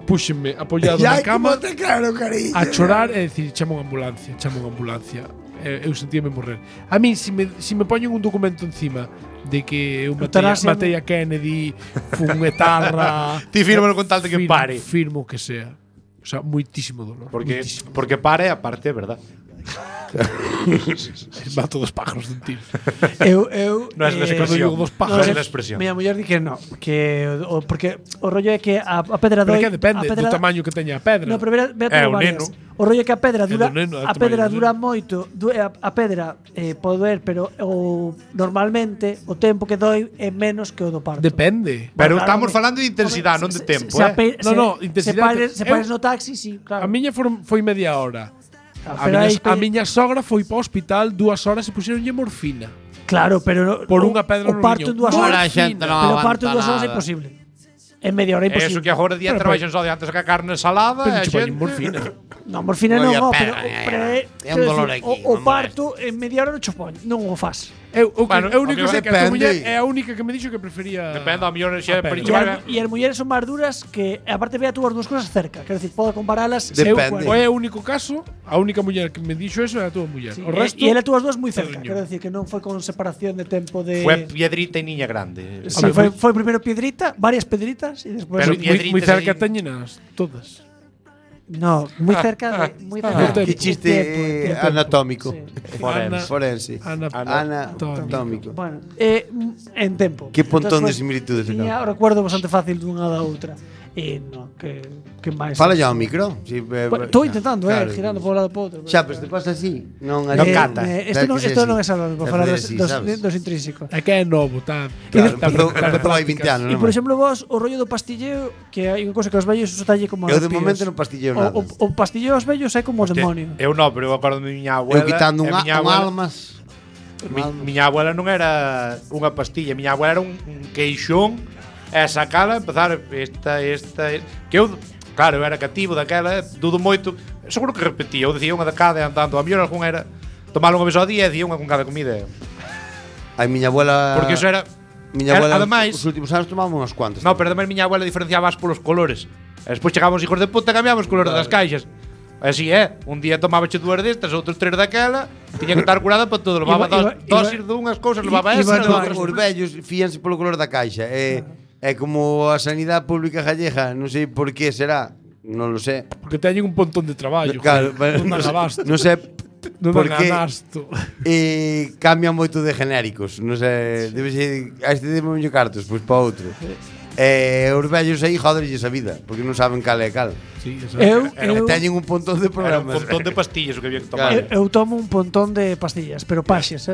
Speaker 2: puxenme apoiado na cama
Speaker 3: te claro, cariño.
Speaker 2: a chorar e dicir, chama unha ambulancia. Eu sentíame morrer. A mí, se me poñen un documento encima de que eu
Speaker 4: Eutanasia,
Speaker 2: matei a Kennedy, fun etarra…
Speaker 1: Ti fírmalo con tal de que pare.
Speaker 2: Firmo que sea. O sea, moitísimo dolor.
Speaker 1: Porque pare, aparte, é verdad.
Speaker 2: Mato dos pájaros dun tiro.
Speaker 4: eu
Speaker 1: Non é
Speaker 2: Cando
Speaker 1: na expresión.
Speaker 2: digo dos
Speaker 1: Non
Speaker 2: pájaros.
Speaker 1: é na expresión.
Speaker 4: Miña muller di que no, que porque o rollo é que a pedra
Speaker 2: Pero
Speaker 4: doi,
Speaker 2: que depende
Speaker 4: a pedra,
Speaker 2: do tamaño que teña a pedra.
Speaker 4: No, pero ve
Speaker 1: É,
Speaker 4: a
Speaker 1: o
Speaker 4: varias.
Speaker 1: neno.
Speaker 4: O rollo é que a pedra dura
Speaker 2: do neno, é o
Speaker 4: a pedra
Speaker 2: tamaño do
Speaker 4: dura
Speaker 2: neno.
Speaker 4: moito, a pedra pode doer, pero normalmente o tempo que doi é menos que o do parto.
Speaker 2: Depende.
Speaker 1: Pero
Speaker 4: Claro,
Speaker 1: estamos
Speaker 4: home,
Speaker 1: falando de intensidade, non de tempo, eh?
Speaker 2: intensidade.
Speaker 4: Se pares no taxi, sí, claro.
Speaker 2: A miña foi media hora.
Speaker 4: Pero aí-
Speaker 2: A miña sogra foi para o hospital 2 horas e puxeronlle morfina.
Speaker 4: Claro, pero
Speaker 2: Por unha pedra
Speaker 4: o
Speaker 2: no
Speaker 4: parto
Speaker 2: riñón.
Speaker 4: en 2
Speaker 3: Ora,
Speaker 4: horas.
Speaker 3: a xente non
Speaker 4: Pero o parto en 2
Speaker 3: aguanta
Speaker 4: horas é
Speaker 3: nada.
Speaker 4: imposible. En media hora é imposible.
Speaker 1: Eso que agora día
Speaker 2: Pero,
Speaker 1: traballan só de antes que a carne salada
Speaker 2: Pero
Speaker 1: e a
Speaker 2: che poñen
Speaker 1: xente…
Speaker 2: morfina.
Speaker 4: No, morfina
Speaker 3: Non
Speaker 4: non,
Speaker 3: lle
Speaker 4: no,
Speaker 3: pega,
Speaker 4: pero
Speaker 3: é
Speaker 4: quero
Speaker 3: un dolor
Speaker 4: decir,
Speaker 3: aquí,
Speaker 4: o
Speaker 3: non
Speaker 4: parto en media hora non cho poño, non o faz.
Speaker 2: Eu
Speaker 1: Bueno,
Speaker 2: o único
Speaker 1: o
Speaker 2: que sei
Speaker 1: que
Speaker 2: que a tua
Speaker 3: depende.
Speaker 2: muller é a única que me dixo que prefería…
Speaker 1: Depende, a mellor xa
Speaker 2: a pedra.
Speaker 1: perichar.
Speaker 4: E as mulleres son máis duras que aparte ve a túas dúas cousas cerca, quero decir, podo comparalas.
Speaker 3: Depende.
Speaker 2: É o único caso, a única muller que me dixo eso é a tua muller. O resto…
Speaker 4: E ela túas dúas moi cerca,
Speaker 2: Cariño.
Speaker 4: quero decir que non foi con separación de tempo de
Speaker 1: Fue piedrita e niña grande.
Speaker 4: Sí, foi primeiro piedrita, varias piedritas e despois
Speaker 1: Pero
Speaker 2: moi
Speaker 1: piedritas
Speaker 2: cerca
Speaker 1: aí.
Speaker 2: teñenas todas.
Speaker 4: no, moi cerca de moi cerca.
Speaker 2: Ah,
Speaker 3: Que chiste anatómico.
Speaker 4: Sí.
Speaker 3: Forense. Anatómico.
Speaker 4: Bueno, en tempo.
Speaker 3: Que pontón de
Speaker 4: Entonces,
Speaker 3: similitudes,
Speaker 4: Tiña
Speaker 3: acá.
Speaker 4: o recuerdo bastante fácil dunha da outra. E non, que máis.
Speaker 3: Fala ya ao micro.
Speaker 4: Estou intentando, girando por un lado por outro.
Speaker 3: Xa, pues te pasa así. Non
Speaker 1: cata.
Speaker 4: Isto non é salvable para falar dos intrínsecos.
Speaker 2: É que é novo, tá.
Speaker 3: Claro, empezou hai 20 anos.
Speaker 4: E por exemplo, vos, o rollo do pastilleo, que hai unha cosa que os vellos uso talle como
Speaker 3: Eu de momento non pastilleo nada.
Speaker 4: O pastilleo aos vellos é como o demonio.
Speaker 1: Eu non, pero eu acordo de miña abuela.
Speaker 3: Eu quitando un almas.
Speaker 1: Miña abuela non era unha pastilla, miña abuela era un queixón e sacala, empezar que eu, claro, eu era cativo daquela, dudo moito, seguro que repetía, eu dicía unha de cada e andando, a mellor algún era tomar unha vez ao día e dicía unha con cada comida.
Speaker 3: Ai, miña abuela.
Speaker 1: Porque eso era.
Speaker 3: Miña abuela,
Speaker 1: ademais,
Speaker 3: os últimos anos tomamos unhas cuantas.
Speaker 1: No, pero ademais miña abuela diferenciaba polos colores. E despois chegábamos hijos de puta e cambiamos os colores das caixas. Así é, un día tomábache dúas destas, outros tres daquela, tiña que estar curada para todo, levaba dosis dunhas cousas, levaba esa,
Speaker 3: os vellos fíanse polo color da caixa. É como a sanidade pública gallega, non sei por que será, non lo sé.
Speaker 2: Porque teñen un pontón de traballo.
Speaker 3: Claro,
Speaker 2: non dan abasto.
Speaker 3: Non sei por que cambian moito de genéricos, non sei, debe ser, a este demo mellor cartos, pois para outro. Os vellos aí joderlles a vida, porque non saben cal é cal.
Speaker 2: Sí,
Speaker 3: teñen un pontón de programas.
Speaker 1: Era un pontón de pastillas o que había que tomar.
Speaker 4: Eu tomo un pontón de pastillas, pero paxes,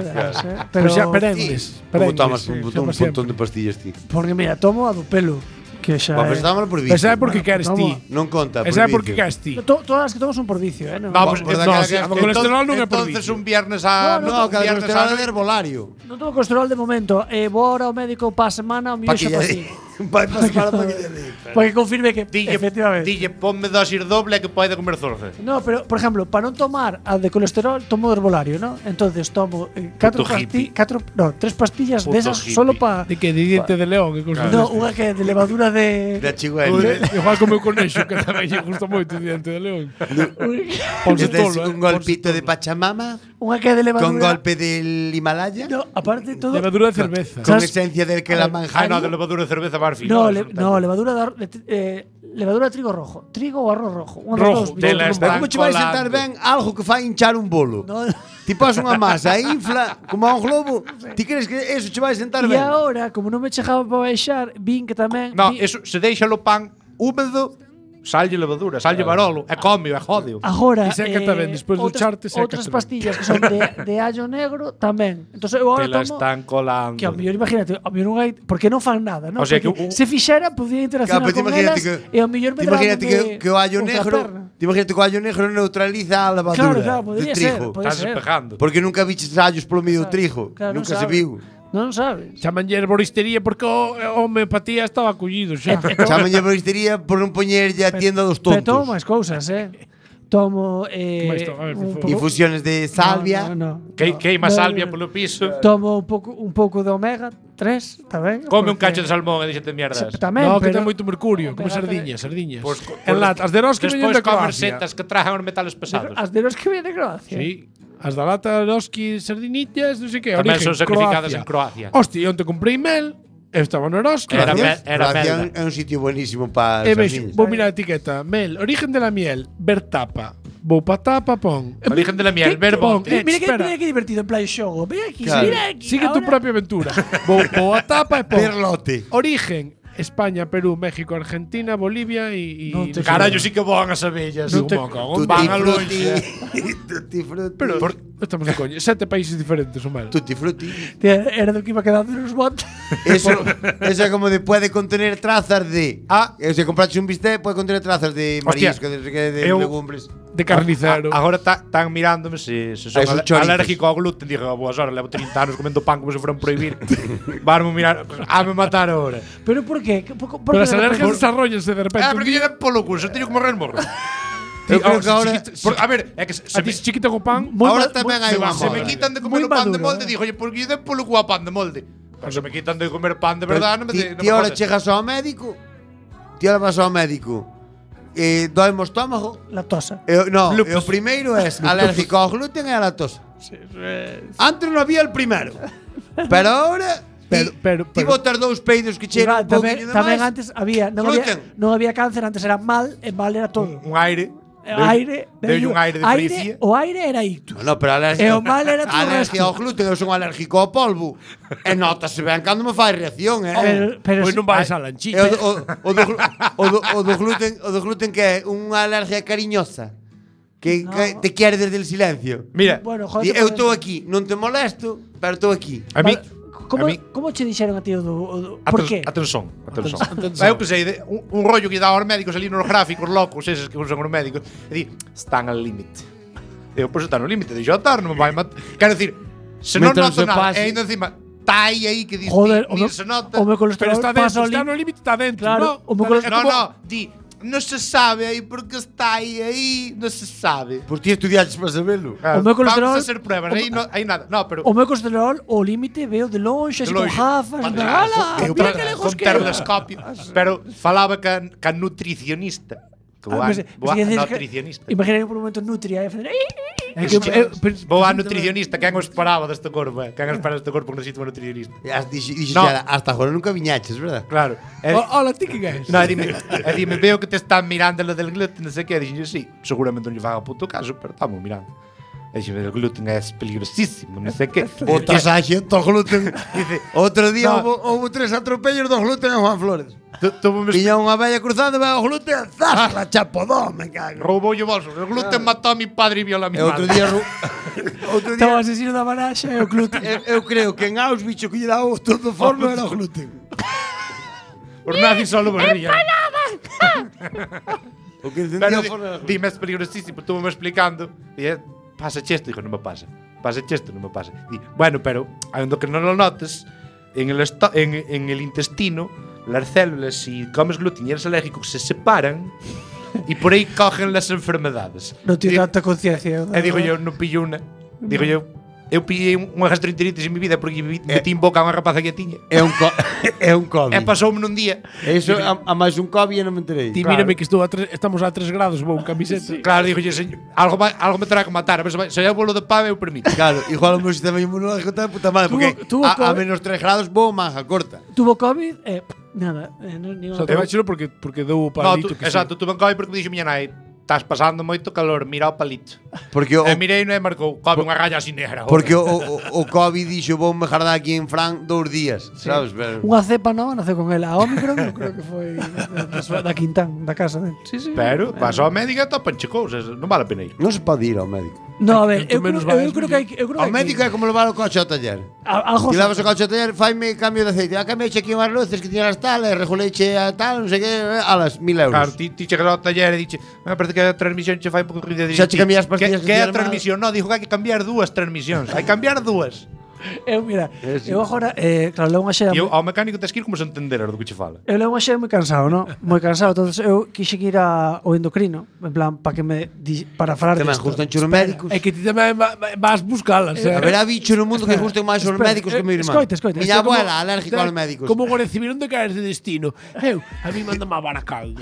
Speaker 2: pero xa perengues.
Speaker 3: Como tomas un pontón de pastillas, ti?
Speaker 4: Porque mira, tomo a do pelo, que xa
Speaker 3: Pues estámoslo por vicio.
Speaker 2: Esa é porque queres ti.
Speaker 3: Non conta, por
Speaker 2: Esa é porque queres ti.
Speaker 4: Todas as que tomo son por vicio,
Speaker 1: No, pues
Speaker 2: o colesterol non é por vicio.
Speaker 1: Entonces un viernes a
Speaker 3: no, cada colesterol é herbolario.
Speaker 4: Non tomo colesterol de momento. Vou ahora ao médico pa semana, o mío xa pasí.
Speaker 3: Vai pasar para que
Speaker 4: Porque confirme que efectivamente.
Speaker 1: Dille, ponme dosis doble que pode comer zorza.
Speaker 4: No, pero por ejemplo, para non tomar a de colesterol, tomo de herbolario, ¿no? Entonces tomo 3 pastillas de esas solo para
Speaker 2: de que de diente de león, que cosa.
Speaker 4: No, unha que é de levadura de
Speaker 3: chigüeña.
Speaker 2: Igual como o conexo, que tamén lle gusta moito diente de león.
Speaker 3: Ponse tolo, un golpito de Pachamama.
Speaker 4: Unha que é de levadura
Speaker 3: con golpe del Himalaya.
Speaker 4: No, aparte todo.
Speaker 2: Levadura de cerveza.
Speaker 3: Con esencia del que la manjar.
Speaker 1: No, de levadura de cerveza Barfi.
Speaker 4: No, levadura de trigo rojo. Trigo ou arroz rojo.
Speaker 2: Rojo.
Speaker 3: Como che vai sentar ben algo que fai hinchar un bolo?
Speaker 4: No.
Speaker 3: Ti pos unha masa, infla como a un globo. Ti crees que eso che vai sentar ben?
Speaker 4: E agora, como non me chegaba para baixar, vin que tamén.
Speaker 1: No, eso se deixa o pan húmedo. Sallle levadura, sallle barolo, e come, e jódeo.
Speaker 4: Agora,
Speaker 2: e seca tamén, despois do charte seca.
Speaker 4: Outras pastillas que son de allo negro tamén. Entonces eu agora
Speaker 1: te la
Speaker 4: tomo
Speaker 1: están colando.
Speaker 4: Que ao mellor imagínate, ao mellor non hai, porque non fan nada, non?
Speaker 1: O sea, que
Speaker 4: se fixera podía interaccionar con elas e ao mellor me
Speaker 3: imagínate que o allo negro, imagínate que o allo negro neutraliza a levadura de trigo.
Speaker 1: Estás despejando.
Speaker 3: Porque nunca viches allos polo medio do trigo, nunca se viu.
Speaker 4: Non sabes.
Speaker 2: Chamanlle herboristería porque a homeopatía estaba acollido xa.
Speaker 3: Chamanlle herboristería por non poñerlle a tienda dos tontos.
Speaker 4: Pero tomo máis cousas, Tomo
Speaker 3: infusiones de salvia.
Speaker 1: Queima salvia polo piso.
Speaker 4: Tomo un pouco de omega 3, tamén.
Speaker 1: Come un cacho de salmón e díxete mierdas.
Speaker 4: Tamén,
Speaker 2: no, que ten moito mercurio, como sardiñas.
Speaker 1: Pues,
Speaker 2: en lata, as de Ross que veñen de Croacia.
Speaker 1: Despois comer setas que trajan os metales pesados.
Speaker 4: As de Ross que veñen de Croacia.
Speaker 2: Sí. As da lata Roski sardinitas, non sei que,
Speaker 1: tamén son sacrificadas en Croacia.
Speaker 2: Hostia, onte comprei mel, estaba no Roski.
Speaker 3: Croacia é un sitio buenísimo para
Speaker 2: as sardinas. Vou mirar a etiqueta, mel, origen de la miel, ver tapa. Vou pa tapa, pon.
Speaker 1: Origen de la miel, ver bote.
Speaker 4: Mira que divertido en plan xogo. Mira aquí, mira aquí.
Speaker 2: Sigue tu propia aventura. Vou a tapa e pon.
Speaker 3: Perlote.
Speaker 2: Origen España, Perú, México, Argentina, Bolivia y
Speaker 1: carallo, sí que van as abellas.
Speaker 3: Van a longe. Tutti frutti.
Speaker 2: Pero estamos de coña. 7 países diferentes, o mal.
Speaker 3: Tutti frutti.
Speaker 4: Era do que iba quedando nos botes.
Speaker 3: Eso é como de puede contener trazas de. Se compraste un bistec, puede contener trazas de marisco, de legumbres.
Speaker 2: De carnicero.
Speaker 1: Agora están mirándome se son alérgico ao gluten. Digo, boas horas, levo 30 anos comendo pan como se fueran prohibir. Vanme mirar, me matar agora.
Speaker 4: Pero por qué?
Speaker 2: Pero as alergias desarrollanse de repente.
Speaker 1: Porque lle den polo curso, teño que morrer morro.
Speaker 3: Eu creo que ahora
Speaker 1: a ver, é que
Speaker 2: se me chiquita co pan.
Speaker 3: Ahora tamén hai unha
Speaker 1: se me quitan de comer o pan de molde, digo, porque lle den polo cu a pan de molde. Pero se me quitan de comer pan de verdade, non me
Speaker 3: Ti ahora chegas ao médico. Ti ahora vas ao médico. Doime o estómago.
Speaker 4: Lactosa.
Speaker 3: No, o primeiro é alérgico ao gluten e a lactosa. Antes non había el primeiro. Pero ahora ti botas 2 peidos que chegan un pouquinho de máis.
Speaker 4: Tamén antes non había cáncer, antes era mal, e mal era todo.
Speaker 1: Un aire.
Speaker 4: aire,
Speaker 1: Deulle un aire de policía.
Speaker 4: O aire era ictus.
Speaker 3: No, pero a
Speaker 4: E o mal era todo o
Speaker 3: alergia ao
Speaker 4: resto.
Speaker 3: gluten, eu son alérgico ao polvo. E notase ben cando me fai reacción,
Speaker 4: Pero
Speaker 2: Pois
Speaker 4: si-
Speaker 2: non vais a
Speaker 3: E
Speaker 2: lanchita.
Speaker 3: o do gluten que é unha alergia cariñosa que te quere desde el silencio.
Speaker 1: Mira,
Speaker 4: Bueno, joder,
Speaker 3: Eu estou aquí, non te molesto, pero estou aquí.
Speaker 1: a mí...
Speaker 4: Como,
Speaker 1: a mí-
Speaker 4: como che dixeron a ti o do por qué?
Speaker 1: Atención.
Speaker 2: Atención.
Speaker 1: Eu que sei, un rollo que dá aos médicos ali nos gráficos locos, eses que usan os médicos, e di, están al límite. Eu, pois está no límite, deixo atar, non me vai matar. Quero decir, se non
Speaker 3: Mientras
Speaker 1: noto
Speaker 3: se
Speaker 1: nada,
Speaker 3: pase.
Speaker 1: e ainda encima, está aí que dice,
Speaker 4: Joder, o
Speaker 1: ni
Speaker 4: meu,
Speaker 1: se nota.
Speaker 4: o meu
Speaker 2: Pero
Speaker 4: colesterol
Speaker 2: está
Speaker 4: pasa
Speaker 2: dentro,
Speaker 4: ao
Speaker 2: está no límite, está dentro.
Speaker 4: Claro,
Speaker 2: no?
Speaker 4: o meu colesterol
Speaker 1: No, di, non se sabe aí porque está aí, non se sabe.
Speaker 3: Pois ti estudiaches para sabelo.
Speaker 4: O meu colesterol-
Speaker 1: Vamos a hacer pruebas, aí nada. No, pero
Speaker 4: O meu colesterol, o límite, veo de longe, así con gafas. ¡Hala!
Speaker 1: Eu
Speaker 4: Mira que lejos
Speaker 1: con
Speaker 4: queda.
Speaker 1: telescopio. Pero falaba ca nutricionista. Que boa, nutricionista.
Speaker 4: Imagina por un momento Nutria.
Speaker 1: Vou a nutricionista, quen o esperaba deste corpo, quen espera deste corpo que necesita un nutricionista.
Speaker 3: Dixo
Speaker 1: No.
Speaker 3: hasta agora nunca viñaches, verdad?
Speaker 1: Claro.
Speaker 2: Hola, ti que és?
Speaker 1: No, dime, veo que te están mirando lo del gluten, non sei que, dixen, sí, seguramente non lle faga puto caso, pero estamos mirando. E dixen, el gluten é peligrosísimo, non sei que.
Speaker 3: Outra saxe do gluten.
Speaker 1: Dice,
Speaker 3: Outro día
Speaker 1: No.
Speaker 3: houve 3 atropellos do gluten en Juan Flores.
Speaker 1: tuvo
Speaker 3: Viña unha bella cruzando, vai o gluten, zas, la chapodón, me cago.
Speaker 1: roubou o bolso. El gluten mató a mi padre e viola a mi
Speaker 3: E outro
Speaker 1: madre.
Speaker 3: día outro
Speaker 4: Estaba
Speaker 3: día
Speaker 4: asesino da baraxa e o gluten.
Speaker 3: eu creo que en Auschwitz o que lle daba o todo forno era o gluten.
Speaker 1: Os nazis solo morrían.
Speaker 3: O que
Speaker 1: Pero
Speaker 3: encendía o forno era o gluten.
Speaker 1: dime, es peligrosísimo, estuvo me explicando. Y pasa esto, dijo, no me pasa. Pasa esto, no me pasa. Y, bueno, pero, aunque no lo notes, en el intestino, las células, si comes gluten y eres alérgico, se separan y por ahí cogen las enfermedades.
Speaker 4: Non tiene
Speaker 1: Y-
Speaker 4: tanta conciencia.
Speaker 1: digo yo, non pillo unha. Digo yo pillei unha gastroenteritis en mi vida porque metí en boca a unha rapaza que tiña.
Speaker 3: É un é un COVID.
Speaker 1: E pasoume nun día.
Speaker 3: Eso a máis un COVID e non me enterei.
Speaker 2: Ti
Speaker 1: Claro.
Speaker 2: mírame que estamos a 3 grados, vou un camiseta.
Speaker 1: Claro, digo yo, señor, algo me terá que matar, pero se hai bolo de pave eu permito.
Speaker 3: Claro, igual o meu sistema inmunológico está de puta madre, porque
Speaker 4: tuvo
Speaker 3: a
Speaker 4: COVID.
Speaker 3: menos 3 grados vou manga corta.
Speaker 4: Tuvo COVID e nada, ni
Speaker 2: Só te baixo porque deu o
Speaker 1: No,
Speaker 2: palito que
Speaker 1: exacto, tuve en COVID porque me dixo miña nai, estás pasando moito calor, mira o palito.
Speaker 3: Porque o,
Speaker 1: E mirei e marcou, COVID unha raya así negra.
Speaker 3: porque o COVID dixo vou me jardar aquí en Fran 2 días, sabes? Pero,
Speaker 4: Unha cepa nova naceu con ela. A Omicron non creo que foi da Quintán, da casa dele. Sí, sí.
Speaker 1: Pero, vas ao médico e topanche cousas, non vale a pena ir.
Speaker 3: non se pode ir ao médico.
Speaker 4: No, a ver,
Speaker 2: Canto menos vais,
Speaker 4: creo que hai eu creo
Speaker 3: Ao
Speaker 4: que hai
Speaker 3: médico é como levar o coche ao taller.
Speaker 4: algo
Speaker 3: Ti levas o coche ao taller, faime cambio de aceite. Cambiache aquí unhas luces que tiñas tal, e reguleiche a tal, non sei que, a las 1000 euros.
Speaker 1: Claro, ti chegas ao taller e dixe, me parece que a transmisión che fai un pouco ruido.
Speaker 3: Xa che cambias pastillas que
Speaker 1: que é
Speaker 3: tiñas
Speaker 1: a transmisión? No, dijo que hai que cambiar 2 transmisións. Hai que cambiar 2.
Speaker 4: Eu, mira,
Speaker 3: Sí.
Speaker 4: eu agora, claro, levo unha xera
Speaker 1: E ao mecánico tes que ir como se entender do que che fala.
Speaker 4: Eu levo unha xera moi cansado, non? Moi cansado, entonces eu quixen ir ao endocrino, en plan, para que para falar
Speaker 3: Que me
Speaker 4: disto.
Speaker 3: gustan os médicos.
Speaker 2: É que ti tamén vas buscalas.
Speaker 3: A ver, a bicho no mundo que gusten máis os
Speaker 4: Espera,
Speaker 3: médicos que meu irmán.
Speaker 4: escoita.
Speaker 3: Miña abuela, alérgica aos médicos.
Speaker 2: Como o recibir onde caes de destino. Eu, a mí mándame a Baracaldo.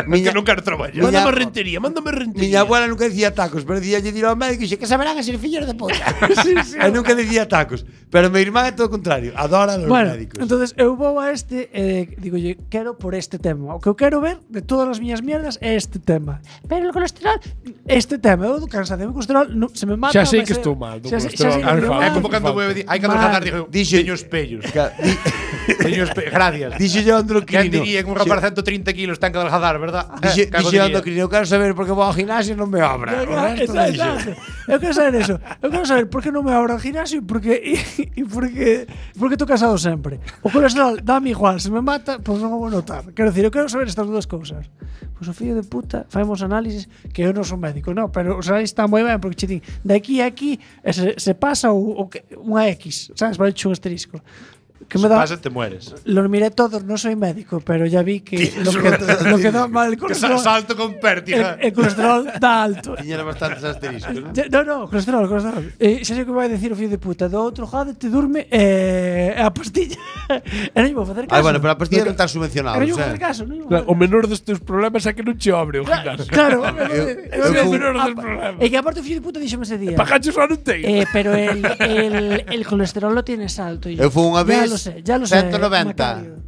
Speaker 3: Miña,
Speaker 1: Que non quero traballar.
Speaker 3: Miña-
Speaker 2: Mándame rentería.
Speaker 3: miña abuela nunca dicía tacos, pero dicía ir ao médico e dixe que saberán a ser fillos de puta. E nunca dicía tacos. Pero meu irmán é todo o contrario, adora os
Speaker 4: Bueno,
Speaker 3: médicos.
Speaker 4: entonces eu vou a este digolle, quero por este tema. O que eu quero ver de todas as miñas mierdas é este tema. Pero o colesterol, este tema, eu do cansado, o colesterol se me mata.
Speaker 2: Xa sei
Speaker 4: vai
Speaker 2: que
Speaker 4: ser-
Speaker 2: estou mal do
Speaker 4: xa sei
Speaker 2: colesterol.
Speaker 4: que
Speaker 2: Ah,
Speaker 4: estou
Speaker 2: fa-
Speaker 1: É
Speaker 4: mal.
Speaker 1: como cando vou hai cando
Speaker 4: Mal.
Speaker 1: falar dixo,
Speaker 3: Dixe-
Speaker 1: teño espellos. Teño espellos, gracias.
Speaker 3: Dixe yo
Speaker 1: Quen
Speaker 3: endocrino.
Speaker 1: diría que un rapaz de 130 kilos ten que adelgazar, verdad?
Speaker 3: Dixe
Speaker 1: Cago
Speaker 3: yo
Speaker 1: diría.
Speaker 3: endocrino, eu quero saber por que vou ao gimnasio e non me obra. O resto deixo.
Speaker 4: Exacto. Eu quero saber eso. Eu quero saber por que non me abro ao gimnasio e por que estou casado sempre. O colesterol dame igual, se me mata, pois non o vou notar. Quero dicir, eu quero saber estas dúas cousas. Pois o fillo de puta faemos análisis que eu non son médico, non, pero os análisis están moi ben porque che din de aquí a aquí e se pasa unha X, sabes, vale un asterisco. Que me
Speaker 1: Se
Speaker 4: da
Speaker 1: pasa te mueres.
Speaker 4: Lo miré todos, no soy médico, pero ya vi que lo que da mal el
Speaker 1: Que
Speaker 4: colesterol,
Speaker 1: salto con pértiga.
Speaker 4: el colesterol da alto.
Speaker 3: Tiñera bastantes asteriscos, non?
Speaker 4: No, colesterol. Xa sei que vai dicir o fillo de puta. Do outro jade te durme a pastilla. E non vou facer caso.
Speaker 3: Ai, bueno, pero a pastilla non está subvencionada,
Speaker 4: E non
Speaker 3: o
Speaker 4: vou
Speaker 3: sea.
Speaker 4: facer caso. Non vou
Speaker 2: Claro, o
Speaker 4: facer
Speaker 2: menor dos teus problemas é que non che obre o gimnasio.
Speaker 4: Claro,
Speaker 3: eu
Speaker 2: É o
Speaker 3: fui-
Speaker 2: menor dos problemas.
Speaker 4: E que aparte o fillo de puta díxome ese día.
Speaker 2: Pajacho só non ten.
Speaker 4: Pero el colesterol lo tienes alto. Y
Speaker 3: Eu fui unha vez
Speaker 4: Ya lo sé, Macario.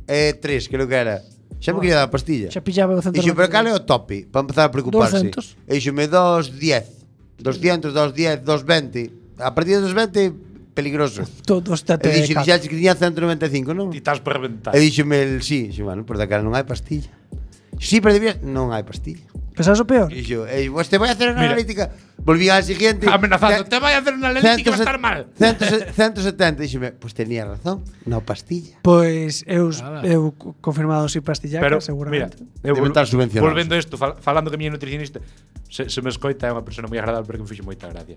Speaker 3: 193, creo que era. Xa me quería dar a pastilla.
Speaker 4: Xa pillaba o centro.
Speaker 3: Dixo, pero cal é o tope? Para empezar a preocuparse.
Speaker 4: 200.
Speaker 3: E dixome 210. 200, 210, 220. A partir de 220, peligroso.
Speaker 4: Todos
Speaker 3: E dixo, dixaxe que tiña 195, non?
Speaker 1: Ti estás por reventar.
Speaker 3: E dixome el, sí. Dixo, bueno, por daquela non hai pastilla. Sí, pero debías... Non hai pastilla.
Speaker 4: Pensabas o peor?
Speaker 3: E dixo, te vai a hacer unha
Speaker 1: Mira.
Speaker 3: analítica. Volví al siguiente.
Speaker 1: Amenazando, te vai a hacer unha analítica e va a estar mal.
Speaker 3: 170. Dixome, pues tenía razón. Non pastilla.
Speaker 4: Pois eu confirmado si pastillaca,
Speaker 1: Pero,
Speaker 4: seguramente.
Speaker 1: mira,
Speaker 3: Debe estar subvencionado.
Speaker 1: Volvendo a isto, falando que a miña nutricionista se me escoita, é unha persona moi agradable porque me fixo moita gracia.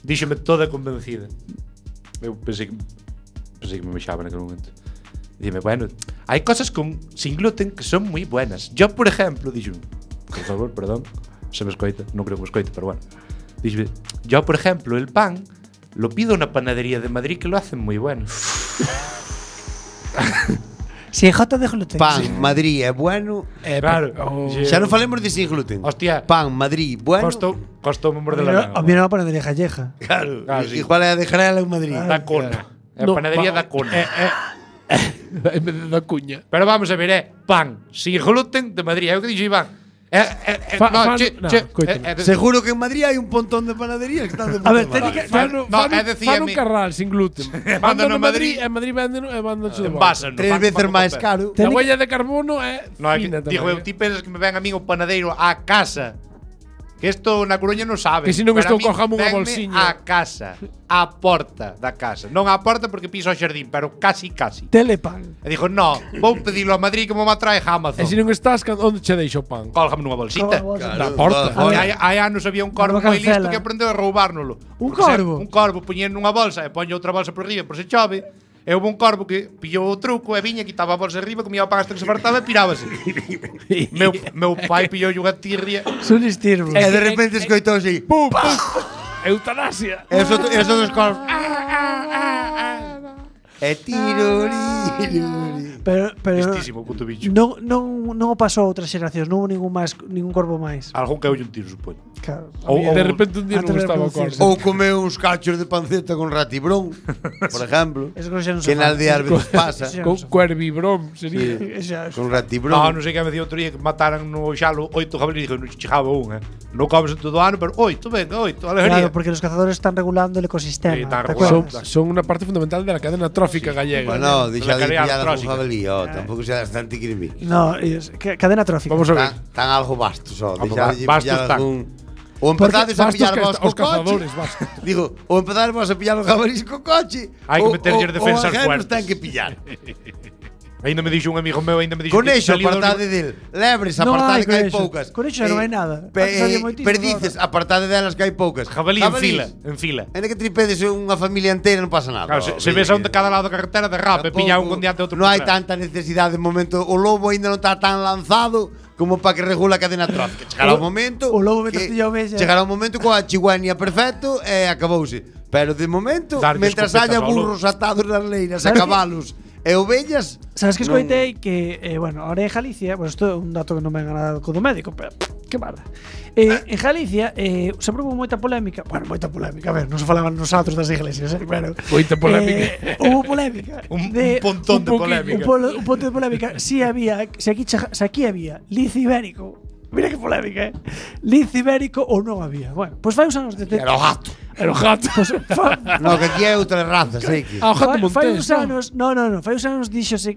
Speaker 1: Díxome toda convencida. Eu pensei que me mexaba naquele momento. Dime, bueno, hai cosas sin gluten que son moi buenas. Yo, por ejemplo, dixo, por favor, perdón, se me escoita, non creo que me escoite, pero bueno. Dixo, yo, por ejemplo, el pan lo pido en una panadería de Madrid que lo hacen muy bueno.
Speaker 4: Si é jota de gluten.
Speaker 3: Pan, Madrid é bueno.
Speaker 1: Claro.
Speaker 3: Xa non falemos de sin gluten.
Speaker 1: Hostia.
Speaker 3: Pan, Madrid, bueno.
Speaker 1: Costou me morder la
Speaker 4: A mí non panadería gallega.
Speaker 3: Claro.
Speaker 1: Sí.
Speaker 3: Igual é a de Jarela en Madrid.
Speaker 1: Da Cona. É a panadería da Cona.
Speaker 2: En vez de da cuña.
Speaker 1: Pero vamos a ver, pan sin gluten de Madrid. É o que dixo Iván.
Speaker 3: Seguro que en Madrid hai un pontón de panaderías que están de puta
Speaker 4: A ver,
Speaker 3: madre.
Speaker 2: Fan un carral sin gluten. Mandan a Madrid, en Madrid venden e mandan de volta.
Speaker 3: Tres veces máis caro.
Speaker 2: A huella de carbono é fina tamén.
Speaker 1: Digo, eu ti pensas que me ven a mí o panadeiro a casa. Que isto na Coruña non sabe.
Speaker 2: Que se non
Speaker 1: Pero
Speaker 2: estou
Speaker 1: a min
Speaker 2: cojamos unha
Speaker 1: venme
Speaker 2: bolsiña.
Speaker 1: a casa, a porta da casa. Non a porta porque piso o xardín, pero casi.
Speaker 4: Telepan.
Speaker 1: E dixo, no, vou pedilo a Madrid que me va trae Amazon.
Speaker 2: E se non estás, onde che deixo o pan?
Speaker 1: Cólgame nunha bolsita.
Speaker 2: Da porta.
Speaker 1: Hai anos había un corvo
Speaker 4: Unha
Speaker 1: moi listo
Speaker 4: cancela.
Speaker 1: que aprendeu a roubárnolo.
Speaker 4: Un
Speaker 1: Por ser-
Speaker 4: corvo?
Speaker 1: Un corvo, poñía nunha bolsa e poña outra bolsa por riba por se chove. E houve un corvo que pillou o truco e viña, quitaba a bolsa arriba, comía o pan hasta que se fartaba e pirábase. meu pai pillou unha tirria.
Speaker 4: Son estirbo.
Speaker 3: E de repente escoitou así.
Speaker 2: Pum, pum. Eutanasia.
Speaker 3: E os dos corvos. E tiruri.
Speaker 4: Pero
Speaker 1: Listísimo, puto bicho.
Speaker 4: non o pasou a outras xeracións, non houve ningún corvo máis.
Speaker 1: Algún que un tiro, supoño.
Speaker 4: Claro.
Speaker 2: De repente un día non
Speaker 4: antes de
Speaker 2: estaba o
Speaker 4: reproducirse.
Speaker 2: corvo.
Speaker 3: Ou comeu uns cachos de panceta con ratibrón, por ejemplo.
Speaker 4: Eso xa non se
Speaker 3: Que na
Speaker 4: fai.
Speaker 3: aldea ás veces pasa.
Speaker 4: Sí.
Speaker 2: Con cuervibrom sería.
Speaker 3: Con
Speaker 1: No,
Speaker 3: ratibrón.
Speaker 1: non sei que me dicía outro día que mataran no xalo 8 jabalíes, dixo, non chegaba un, Non comes en todo o ano, pero 8, venga, 8, alegría.
Speaker 4: Claro, porque los cazadores están regulando el ecosistema.
Speaker 1: Sí, están
Speaker 4: ¿te
Speaker 1: regulando.
Speaker 4: acuerdas?
Speaker 2: Son unha parte fundamental de la cadena trófica gallega.
Speaker 3: Bueno, deixa de
Speaker 1: Calidad
Speaker 3: pillar algún
Speaker 1: tróxica.
Speaker 3: jabalí, tampouco sea bastante crimi.
Speaker 4: No, cadena trófica.
Speaker 2: Vamos a ver.
Speaker 3: Tan algo bastos,
Speaker 1: Vamos,
Speaker 3: deixa de
Speaker 1: bastos
Speaker 3: pillar
Speaker 1: tan.
Speaker 3: algún. O empezades a
Speaker 2: Bastos
Speaker 3: pillar
Speaker 2: que
Speaker 3: vos co
Speaker 2: os cazadores,
Speaker 3: coche.
Speaker 2: bastos.
Speaker 3: Digo, o empezades a pillar os jabalís co coche.
Speaker 1: Hai que meterlles defensas
Speaker 3: fuertes.
Speaker 1: fuertes.
Speaker 3: Ten que pillar.
Speaker 1: Ainda me dixo un amigo meu, ainda me dixo
Speaker 3: Conexo,
Speaker 1: salido do
Speaker 3: apartade del. Lebres,
Speaker 4: Non
Speaker 3: apartade
Speaker 4: hai
Speaker 3: que hai
Speaker 4: conexo.
Speaker 3: poucas.
Speaker 4: Conexo non hai nada. Antes había moitísimo,
Speaker 3: Perdices, apartade delas que hai poucas.
Speaker 1: Jabalí en fila.
Speaker 3: Ainda que tripedes unha familia entera non pasa nada.
Speaker 1: Claro, se ves a un de cada lado da carretera de rap, e pilla un con diante outro.
Speaker 3: Non hai
Speaker 1: por detrás.
Speaker 3: tanta necesidade de momento. O lobo aínda non está tan lanzado como para que regula a cadena trófica. Chegará un momento.
Speaker 4: o lobo mentre
Speaker 3: que-
Speaker 4: pilla a ovella.
Speaker 3: Chegará un momento coa chigüenia perfecto e acabouse. Pero de momento,
Speaker 1: Darlle
Speaker 3: mentras
Speaker 1: escopetas
Speaker 3: haya
Speaker 1: ao lobo.
Speaker 3: burros atados nas leiras e
Speaker 4: ¿Sabes que-
Speaker 3: cabalos e ovellas.
Speaker 4: Sabes que
Speaker 3: non-
Speaker 4: escoitei que, bueno, ahora en Galicia, pues isto é un dato que non me venga nada co do médico, pero que mala. En Galicia sempre houve moita polémica, bueno, moita polémica, a ver, non se falaban nosotros das iglesias, pero
Speaker 2: Moita polémica.
Speaker 4: Houve polémica.
Speaker 1: Un pontón de polémica.
Speaker 4: Un punto de polémica. Si había, se aquí había lince ibérico. Mira que polémica, lince ibérico ou non había. Bueno, pois fai uns anos de
Speaker 3: Era o gato.
Speaker 2: Era o gato.
Speaker 4: Pues,
Speaker 3: No, que aquí hai outras razas, que.
Speaker 2: Ah, o gato
Speaker 4: fai
Speaker 2: montés.
Speaker 4: uns anos, no, fai uns anos díxose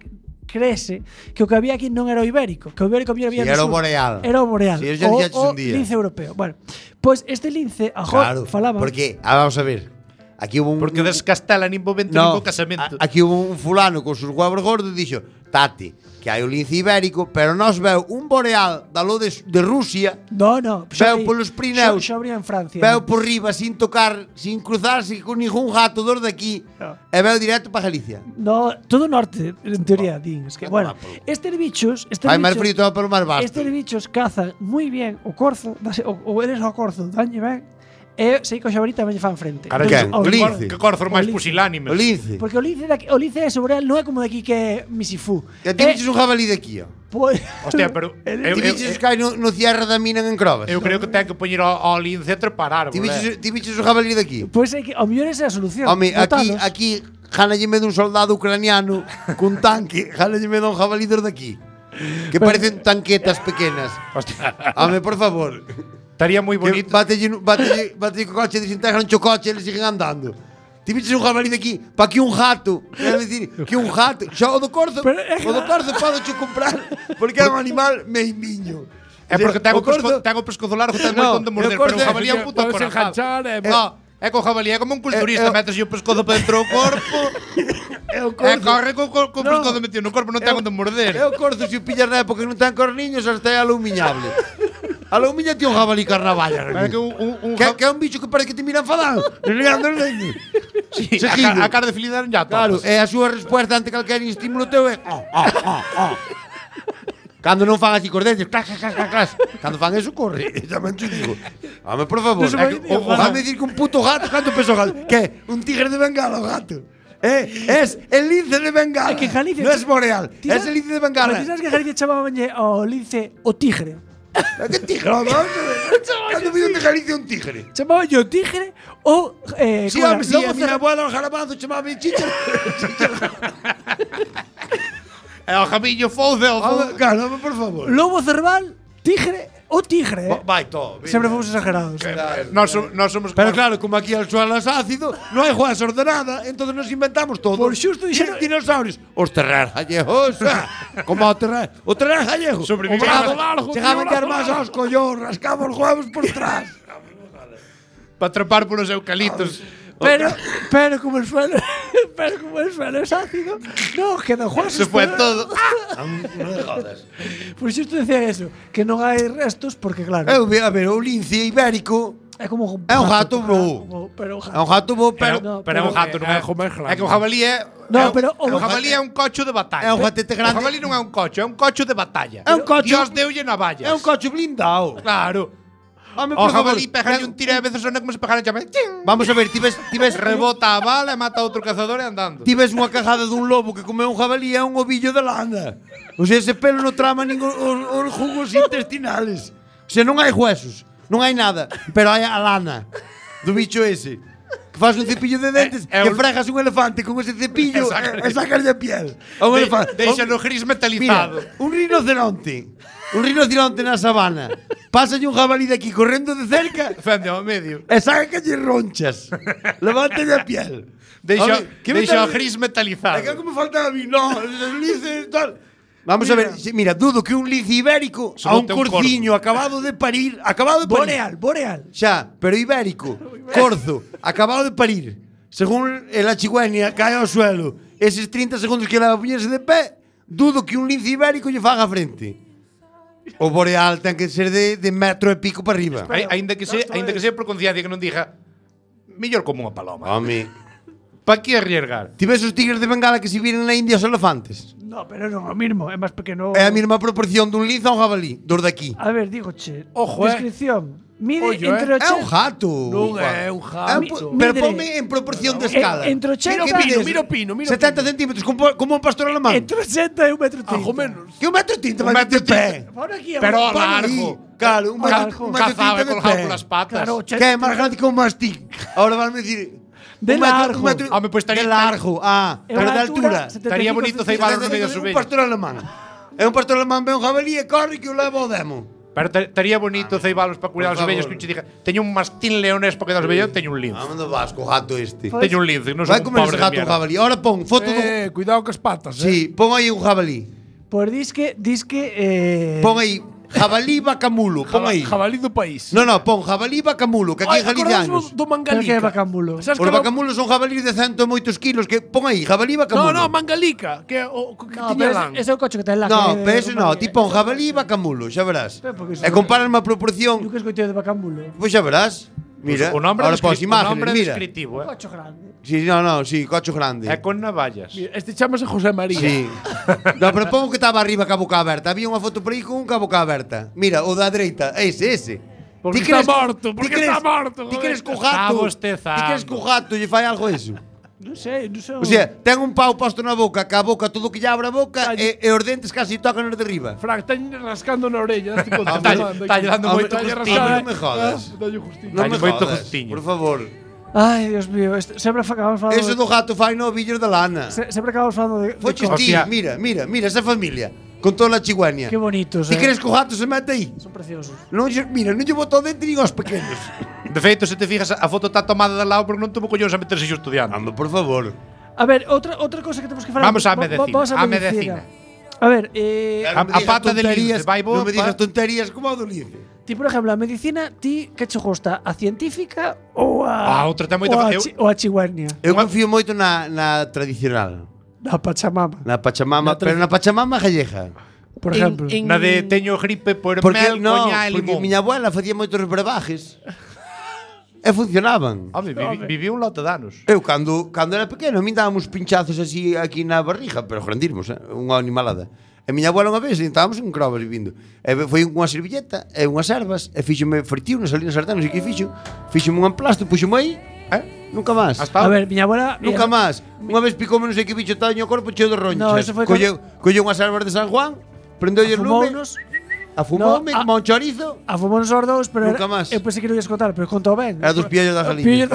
Speaker 4: creese que o que había aquí non era o ibérico, que o ibérico había
Speaker 3: Sí,
Speaker 4: no
Speaker 3: era o
Speaker 4: sur.
Speaker 3: boreal.
Speaker 4: Era o boreal.
Speaker 3: Sí, eso ya dixaches un día.
Speaker 4: lince europeo. Bueno, pois este lince, agora
Speaker 3: Claro,
Speaker 4: falaba.
Speaker 3: porque, vamos a ver. Aquí hubo un.
Speaker 1: Porque descastela nin momento nin casamento.
Speaker 3: Aquí hubo un fulano con sus huevos gordos e dixo: Tati, que hai o lince ibérico, pero nos veu un boreal dalo de Rusia.
Speaker 4: No,
Speaker 3: Veu polos Pirineus.
Speaker 4: Xa habría en Francia.
Speaker 3: Veu por riba sin tocar, sin cruzarse con ningún gato dos de aquí.
Speaker 4: No.
Speaker 3: E veu directo para Galicia.
Speaker 4: No, todo norte, en teoría, din. Es que, bueno, estes bichos
Speaker 3: Fai máis frío todo pelo máis vasto.
Speaker 4: estes bichos cazan moi bien o corzo, o eres o corzo, danlle ben, e sei que o xabarita tamén lle fan frente.
Speaker 1: Cara,
Speaker 3: Quen?
Speaker 1: que
Speaker 3: O lince.
Speaker 1: que corzos máis
Speaker 4: O lince.
Speaker 1: pusilánimes.
Speaker 3: O lince.
Speaker 4: Porque o lince de Sobreal non é como de aquí que é Misifú.
Speaker 3: E ti viches un jabalí de aquí, ó.
Speaker 4: Pois,
Speaker 1: Hostia, pero
Speaker 3: Ti viches que hai no cierre da mina en Crobas.
Speaker 1: eu creo que ten que poñer ao lince a trepar
Speaker 3: Ti
Speaker 1: árbol.
Speaker 3: viches un jabalí de aquí.
Speaker 4: pois é que ao mellor esa é a solución.
Speaker 3: Home, aquí Jana lle me dun soldado ucraniano cun tanque, Jana lle me dun jabalí dos de aquí. Que parecen tanquetas pequenas. Home, por favor.
Speaker 1: Estaría moi
Speaker 3: Que
Speaker 1: bonito.
Speaker 3: bátelle co coche, desintegran o coche e eles siguen andando. Ti viches un jabalí de aquí, pa aquí un jato. Quero dicir, que un jato. Xa o do corzo podo cho comprar, porque é un animal meimiño.
Speaker 1: É porque ten o
Speaker 3: corzo-
Speaker 1: pescozo largo, ten
Speaker 3: No,
Speaker 1: moito onde morder,
Speaker 3: o corzo
Speaker 1: pero o
Speaker 3: é-
Speaker 1: jabalí é un puto
Speaker 2: Podes
Speaker 1: corazón.
Speaker 2: enganchar
Speaker 1: No, é co jabalí, é como un culturista, metes o pescozo para dentro do corpo.
Speaker 3: É o
Speaker 1: E
Speaker 3: corzo.
Speaker 1: corre co
Speaker 3: No.
Speaker 1: pescozo metido no corpo, non ten onde morder.
Speaker 3: É o corzo, se o pillas na época que non ten corniños, hasta é alumiñable. Alumiña ti un jabalí carnavalla.
Speaker 1: É que un
Speaker 3: Que é un bicho que parece que te mira enfadado. Renegando os dedos.
Speaker 1: Sí,
Speaker 3: Seguindo.
Speaker 1: a cara de felicidade ya
Speaker 3: Claro,
Speaker 1: topas.
Speaker 3: é a súa resposta ante calquer estímulo teu é Cando non fan así cos dentes, clas, clas, clas, clas. Cando fan eso, corre. Tamén te digo. Home, por favor.
Speaker 4: Non se
Speaker 3: É
Speaker 4: vai
Speaker 3: que
Speaker 4: dicir,
Speaker 3: Vame dicir que un puto gato, canto pesa o gato? Que? Un tigre de Bengala o gato. Es el lince de Bengala.
Speaker 4: É que en Galicia-
Speaker 3: Non es boreal,
Speaker 4: Ti
Speaker 3: es
Speaker 4: sabes-
Speaker 3: el lince de
Speaker 4: Pero
Speaker 3: Bengala.
Speaker 4: ti sabes que en Galicia chamabanlle ao lince o tigre.
Speaker 3: Que tigre? Vamos a ver. Cando vi un de Galicia un tigre.
Speaker 4: Chamabanlle o tigre ou
Speaker 3: Sí,
Speaker 4: como era?
Speaker 3: home, sí,
Speaker 4: Lobo
Speaker 3: a miña
Speaker 4: cerrado.
Speaker 3: abuela o jarabazo chamaba chicha.
Speaker 1: É o jabillo fouce,
Speaker 3: Claro, home, por favor.
Speaker 4: Lobo cerval, tigre ou tigre.
Speaker 3: Vai todo.
Speaker 4: Sempre fomos exagerados.
Speaker 1: Nós somos
Speaker 3: Pero claro, como aquí el suelo es ácido, no hay juez ordenada, entonces nos inventamos todo.
Speaker 4: Por xusto dixeron-
Speaker 3: dinosaurios. Os terreros gallegos, como o terrero gallego.
Speaker 1: Sobrevivieron.
Speaker 3: O bravo
Speaker 2: Largo,
Speaker 3: chegaban
Speaker 2: tío,
Speaker 3: de armas aos collón, rascaban os huevos por detrás.
Speaker 1: para trepar polos eucaliptos.
Speaker 4: Pero como el suelo es ácido, no queda juego.
Speaker 1: Se fue todo.
Speaker 3: Non me jodas.
Speaker 4: Por xusto decía eso, que non hai restos porque claro,
Speaker 3: A ver, o lince ibérico
Speaker 4: é como
Speaker 3: é un gato bo.
Speaker 4: pero
Speaker 3: é un gato bo,
Speaker 1: Pero,
Speaker 3: pero
Speaker 1: pero é un gato, non é? É que o jabalí é...
Speaker 4: No, pero
Speaker 1: o jabalí é un cocho de batalla.
Speaker 3: É un gatete grande.
Speaker 1: O jabalí non é un cocho, é un cocho de batalla.
Speaker 3: É un cocho-
Speaker 1: Dios deulle navallas.
Speaker 3: é un coche blindado.
Speaker 1: Claro.
Speaker 3: Home,
Speaker 1: O
Speaker 3: por favor,
Speaker 1: jabalí pegalle un tiro e a veces sona como se pegara chame.
Speaker 3: Vamos a ver, ti ves
Speaker 1: Rebota a bala e mata a outro cazador e andando.
Speaker 3: Ti ves unha cajada dun lobo que comeu un jabalí é un ovillo de lana. O sea, ese pelo non trama nin os jugos intestinales. O sea, non hai huesos, non hai nada, pero hai a lana do bicho ese. Que faz un cepillo de dentes, que fregas un elefante con ese cepillo e sacarlle a piel. A un elefante.
Speaker 1: Deixa no gris
Speaker 3: Mira,
Speaker 1: metalizado.
Speaker 3: un rinoceronte. Un rinoceronte na sabana. Pásalle un jabalí de aquí correndo de cerca
Speaker 1: Fende ao medio.
Speaker 3: e sácalle ronchas. Levántelle a piel.
Speaker 1: Deixa
Speaker 3: Home, que me
Speaker 1: o
Speaker 3: tal-
Speaker 1: gris
Speaker 3: É
Speaker 1: metalizado.
Speaker 3: que como faltaba a mí, no, os linces tal. Vamos a ver, mira, dudo que un lince ibérico
Speaker 1: Só
Speaker 3: a un
Speaker 1: ten un
Speaker 3: corciño acabado de parir,
Speaker 4: boreal.
Speaker 3: Xa, pero ibérico, corzo, acabado de parir. Según la chigüeña cae ao suelo, eses 30 segundos que leva a poñerse de pé, dudo que un lince ibérico lle faga frente. O boreal ten que ser de metro e pico para arriba.
Speaker 1: Ainda que sea por conciencia que non diga mellor como unha paloma.
Speaker 3: Home,
Speaker 1: Pa que arriesgar?
Speaker 3: ti ves os tigres de Bengala que se viren na India os elefantes?
Speaker 4: No, pero non o mismo, é máis pequeno.
Speaker 3: É a mesma proporción dun lince a un jabalí, dos de aquí.
Speaker 4: A ver, digo, che.
Speaker 2: Ojo,
Speaker 4: descripción. Mide
Speaker 2: Ollo,
Speaker 4: entre
Speaker 3: É un
Speaker 4: 80
Speaker 3: gato.
Speaker 2: Non é un gato.
Speaker 3: Pero
Speaker 4: Mide-
Speaker 3: ponme en proporción de escala.
Speaker 4: entre 80
Speaker 2: Mira o pino.
Speaker 3: 70 centímetros, como un pastor alemán.
Speaker 4: entre 80 e 1,30 m.
Speaker 2: Algo menos.
Speaker 3: Que un metro e 30
Speaker 1: Un
Speaker 3: vai
Speaker 1: metro
Speaker 3: de pé.
Speaker 4: Por aquí,
Speaker 1: Pero
Speaker 4: agora.
Speaker 1: a
Speaker 3: Para
Speaker 1: largo.
Speaker 3: aí. Claro, un metro
Speaker 4: Largo.
Speaker 3: un metro e
Speaker 1: Cazaba
Speaker 3: 30 de
Speaker 1: colgado
Speaker 3: pé.
Speaker 1: polas patas.
Speaker 4: Claro,
Speaker 3: Que é máis grande que un mastín. Ahora van a decir
Speaker 4: De
Speaker 3: un metro-
Speaker 4: largo.
Speaker 3: un metro-
Speaker 1: Home, pues estaría-
Speaker 3: de largo.
Speaker 4: É
Speaker 3: Pero
Speaker 4: unha
Speaker 3: de altura.
Speaker 4: 75
Speaker 1: Estaría bonito ceibalos no medio da
Speaker 3: Un
Speaker 1: subella.
Speaker 3: pastor alemán. É un pastor alemán, ve un jabalí e corre que o leva ao demo.
Speaker 1: Pero estaría bonito ceibalos para cuidar
Speaker 3: Por
Speaker 1: as ovellas
Speaker 3: favor.
Speaker 1: que un che diga teño un mastín leonés para cuidar as ovellas, teño un lince.
Speaker 3: Vamos do vasco, gato este.
Speaker 1: Teño un lince, non son
Speaker 3: Vai
Speaker 1: un
Speaker 3: comer
Speaker 1: pobre
Speaker 3: ese
Speaker 1: de
Speaker 3: gato un
Speaker 1: mierda.
Speaker 3: jabalí. Ahora pon foto do...
Speaker 2: Cuidado con as patas,
Speaker 3: Sí, pon aí un jabalí.
Speaker 4: Pois dis que
Speaker 3: Pon aí jabalí vacamulo, pon aí.
Speaker 2: Jabalí do país.
Speaker 3: No, pon jabalí vacamulo, que aquí en Galicia anos.
Speaker 2: do
Speaker 4: Pero que é
Speaker 2: Mangalica?
Speaker 4: Bacambulo?
Speaker 2: Sabes
Speaker 3: Os
Speaker 2: que
Speaker 3: vacamulos son jabalíes de 100 e moitos kilos que pon aí, jabalí vacamulo.
Speaker 2: No, Mangalica, que é o que
Speaker 4: No,
Speaker 2: tiña
Speaker 4: pero
Speaker 2: lan.
Speaker 4: ese é o coche que ten lá.
Speaker 3: No,
Speaker 4: que é de
Speaker 3: pero ese no,
Speaker 4: Romaría.
Speaker 3: ti pon jabalí vacamulo, xa verás.
Speaker 4: Pero porque
Speaker 3: E comparan a proporción,
Speaker 4: Eu que escoitei de Bacambulo.
Speaker 3: pois xa verás. Mira,
Speaker 1: O nombre
Speaker 3: ahora pos imágenes,
Speaker 1: nombre
Speaker 3: mira.
Speaker 1: descritivo,
Speaker 4: Cocho grande.
Speaker 3: Sí, sí, cocho grande.
Speaker 1: É con navallas.
Speaker 2: Este chamase José María.
Speaker 3: Sí. No, pero pon que estaba arriba ca boca aberta. Había unha foto por aí con un ca boca aberta. Mira, o da dereita, ese.
Speaker 2: Porque
Speaker 3: Ti
Speaker 2: está
Speaker 3: crees-
Speaker 2: morto,
Speaker 3: ti
Speaker 2: porque
Speaker 3: crees-
Speaker 2: está morto,
Speaker 3: Ti
Speaker 2: joder.
Speaker 3: crees que o
Speaker 1: Está
Speaker 3: gato,
Speaker 1: bostezando.
Speaker 3: ti crees que o gato lle fai algo eso?
Speaker 4: Non sei.
Speaker 3: O sea, ten un pau posto na boca, ca boca todo que lle abre a boca e os dentes casi tocan os de arriba.
Speaker 2: Frank, está rascando na orella. Tipo,
Speaker 1: Está lle dando moito gustinho.
Speaker 3: non me jodas.
Speaker 2: Dalle justinho.
Speaker 3: Non me
Speaker 1: Dalle moito
Speaker 3: jodas,
Speaker 1: gustiño.
Speaker 3: por favor.
Speaker 4: Ai, Dios mío. Sempre acabamos falando...
Speaker 3: Eso do gato fai no villos da lana.
Speaker 4: Sempre acabamos falando de...
Speaker 3: Foches
Speaker 4: de
Speaker 3: ti,
Speaker 1: Hostia.
Speaker 3: mira esa familia. con toda a chiguania.
Speaker 4: Qué bonitos,
Speaker 3: Ti crees que o gato se mete aí?
Speaker 4: Son preciosos.
Speaker 3: Mira, non lle botou dentro nin aos pequenos.
Speaker 1: De feito, se te fijas, a foto está tomada de lado porque non tuvo collóns a meterse xo estudiando.
Speaker 3: Ando, por favor.
Speaker 4: A ver, outra cosa que temos que falar.
Speaker 1: Vamos á medicina,
Speaker 4: Vamos á
Speaker 1: á
Speaker 4: medicina.
Speaker 1: medicina.
Speaker 4: A ver,
Speaker 1: A pata de lince, vai
Speaker 3: Non
Speaker 1: bo,
Speaker 3: me digas tonterías como a do lince.
Speaker 4: ti, por exemplo, a medicina, ti que che gusta, a científica ou a
Speaker 1: outra ten moita
Speaker 4: ou a chiguania?
Speaker 3: Eu confío moito na tradicional.
Speaker 4: Na Pachamama,
Speaker 3: Na Pachamama, pero na Pachamama gallega.
Speaker 4: por exemplo.
Speaker 1: na de teño gripe por
Speaker 3: Porque
Speaker 1: mel,
Speaker 3: no,
Speaker 1: coña e
Speaker 3: porque
Speaker 1: limón.
Speaker 3: miña abuela facía moitos brebajes. E funcionaban.
Speaker 1: Home, viví un lote de anos.
Speaker 3: Eu cando era pequeno, a min dábamos pinchazos así aquí na barriga, pero grandirmos, unha animalada. E miña abuela unha vez, estábamos en Crobas vivindo. E foi unha servilleta e unhas ervas, e fíxome fritiu nas salinas sartén, non sei que fixo. Fíxome un emplasto, puxome aí, nunca máis.
Speaker 1: Hasta
Speaker 4: A ver, miña abuela
Speaker 3: Nunca máis. Unha vez picoume non sei que bicho estaba no corpo cheo de ronchas.
Speaker 4: No, eso foi
Speaker 3: Colleu unhas ervas de San Juan, prendeulle o lume,
Speaker 4: afumounos,
Speaker 3: afumoume
Speaker 4: No,
Speaker 3: como un chorizo.
Speaker 4: afumounos os dous, pero
Speaker 3: Nunca máis.
Speaker 4: eu pensei que non ias contar, pero contou ben.
Speaker 3: Era dos piellos da
Speaker 4: Pillos
Speaker 3: salina.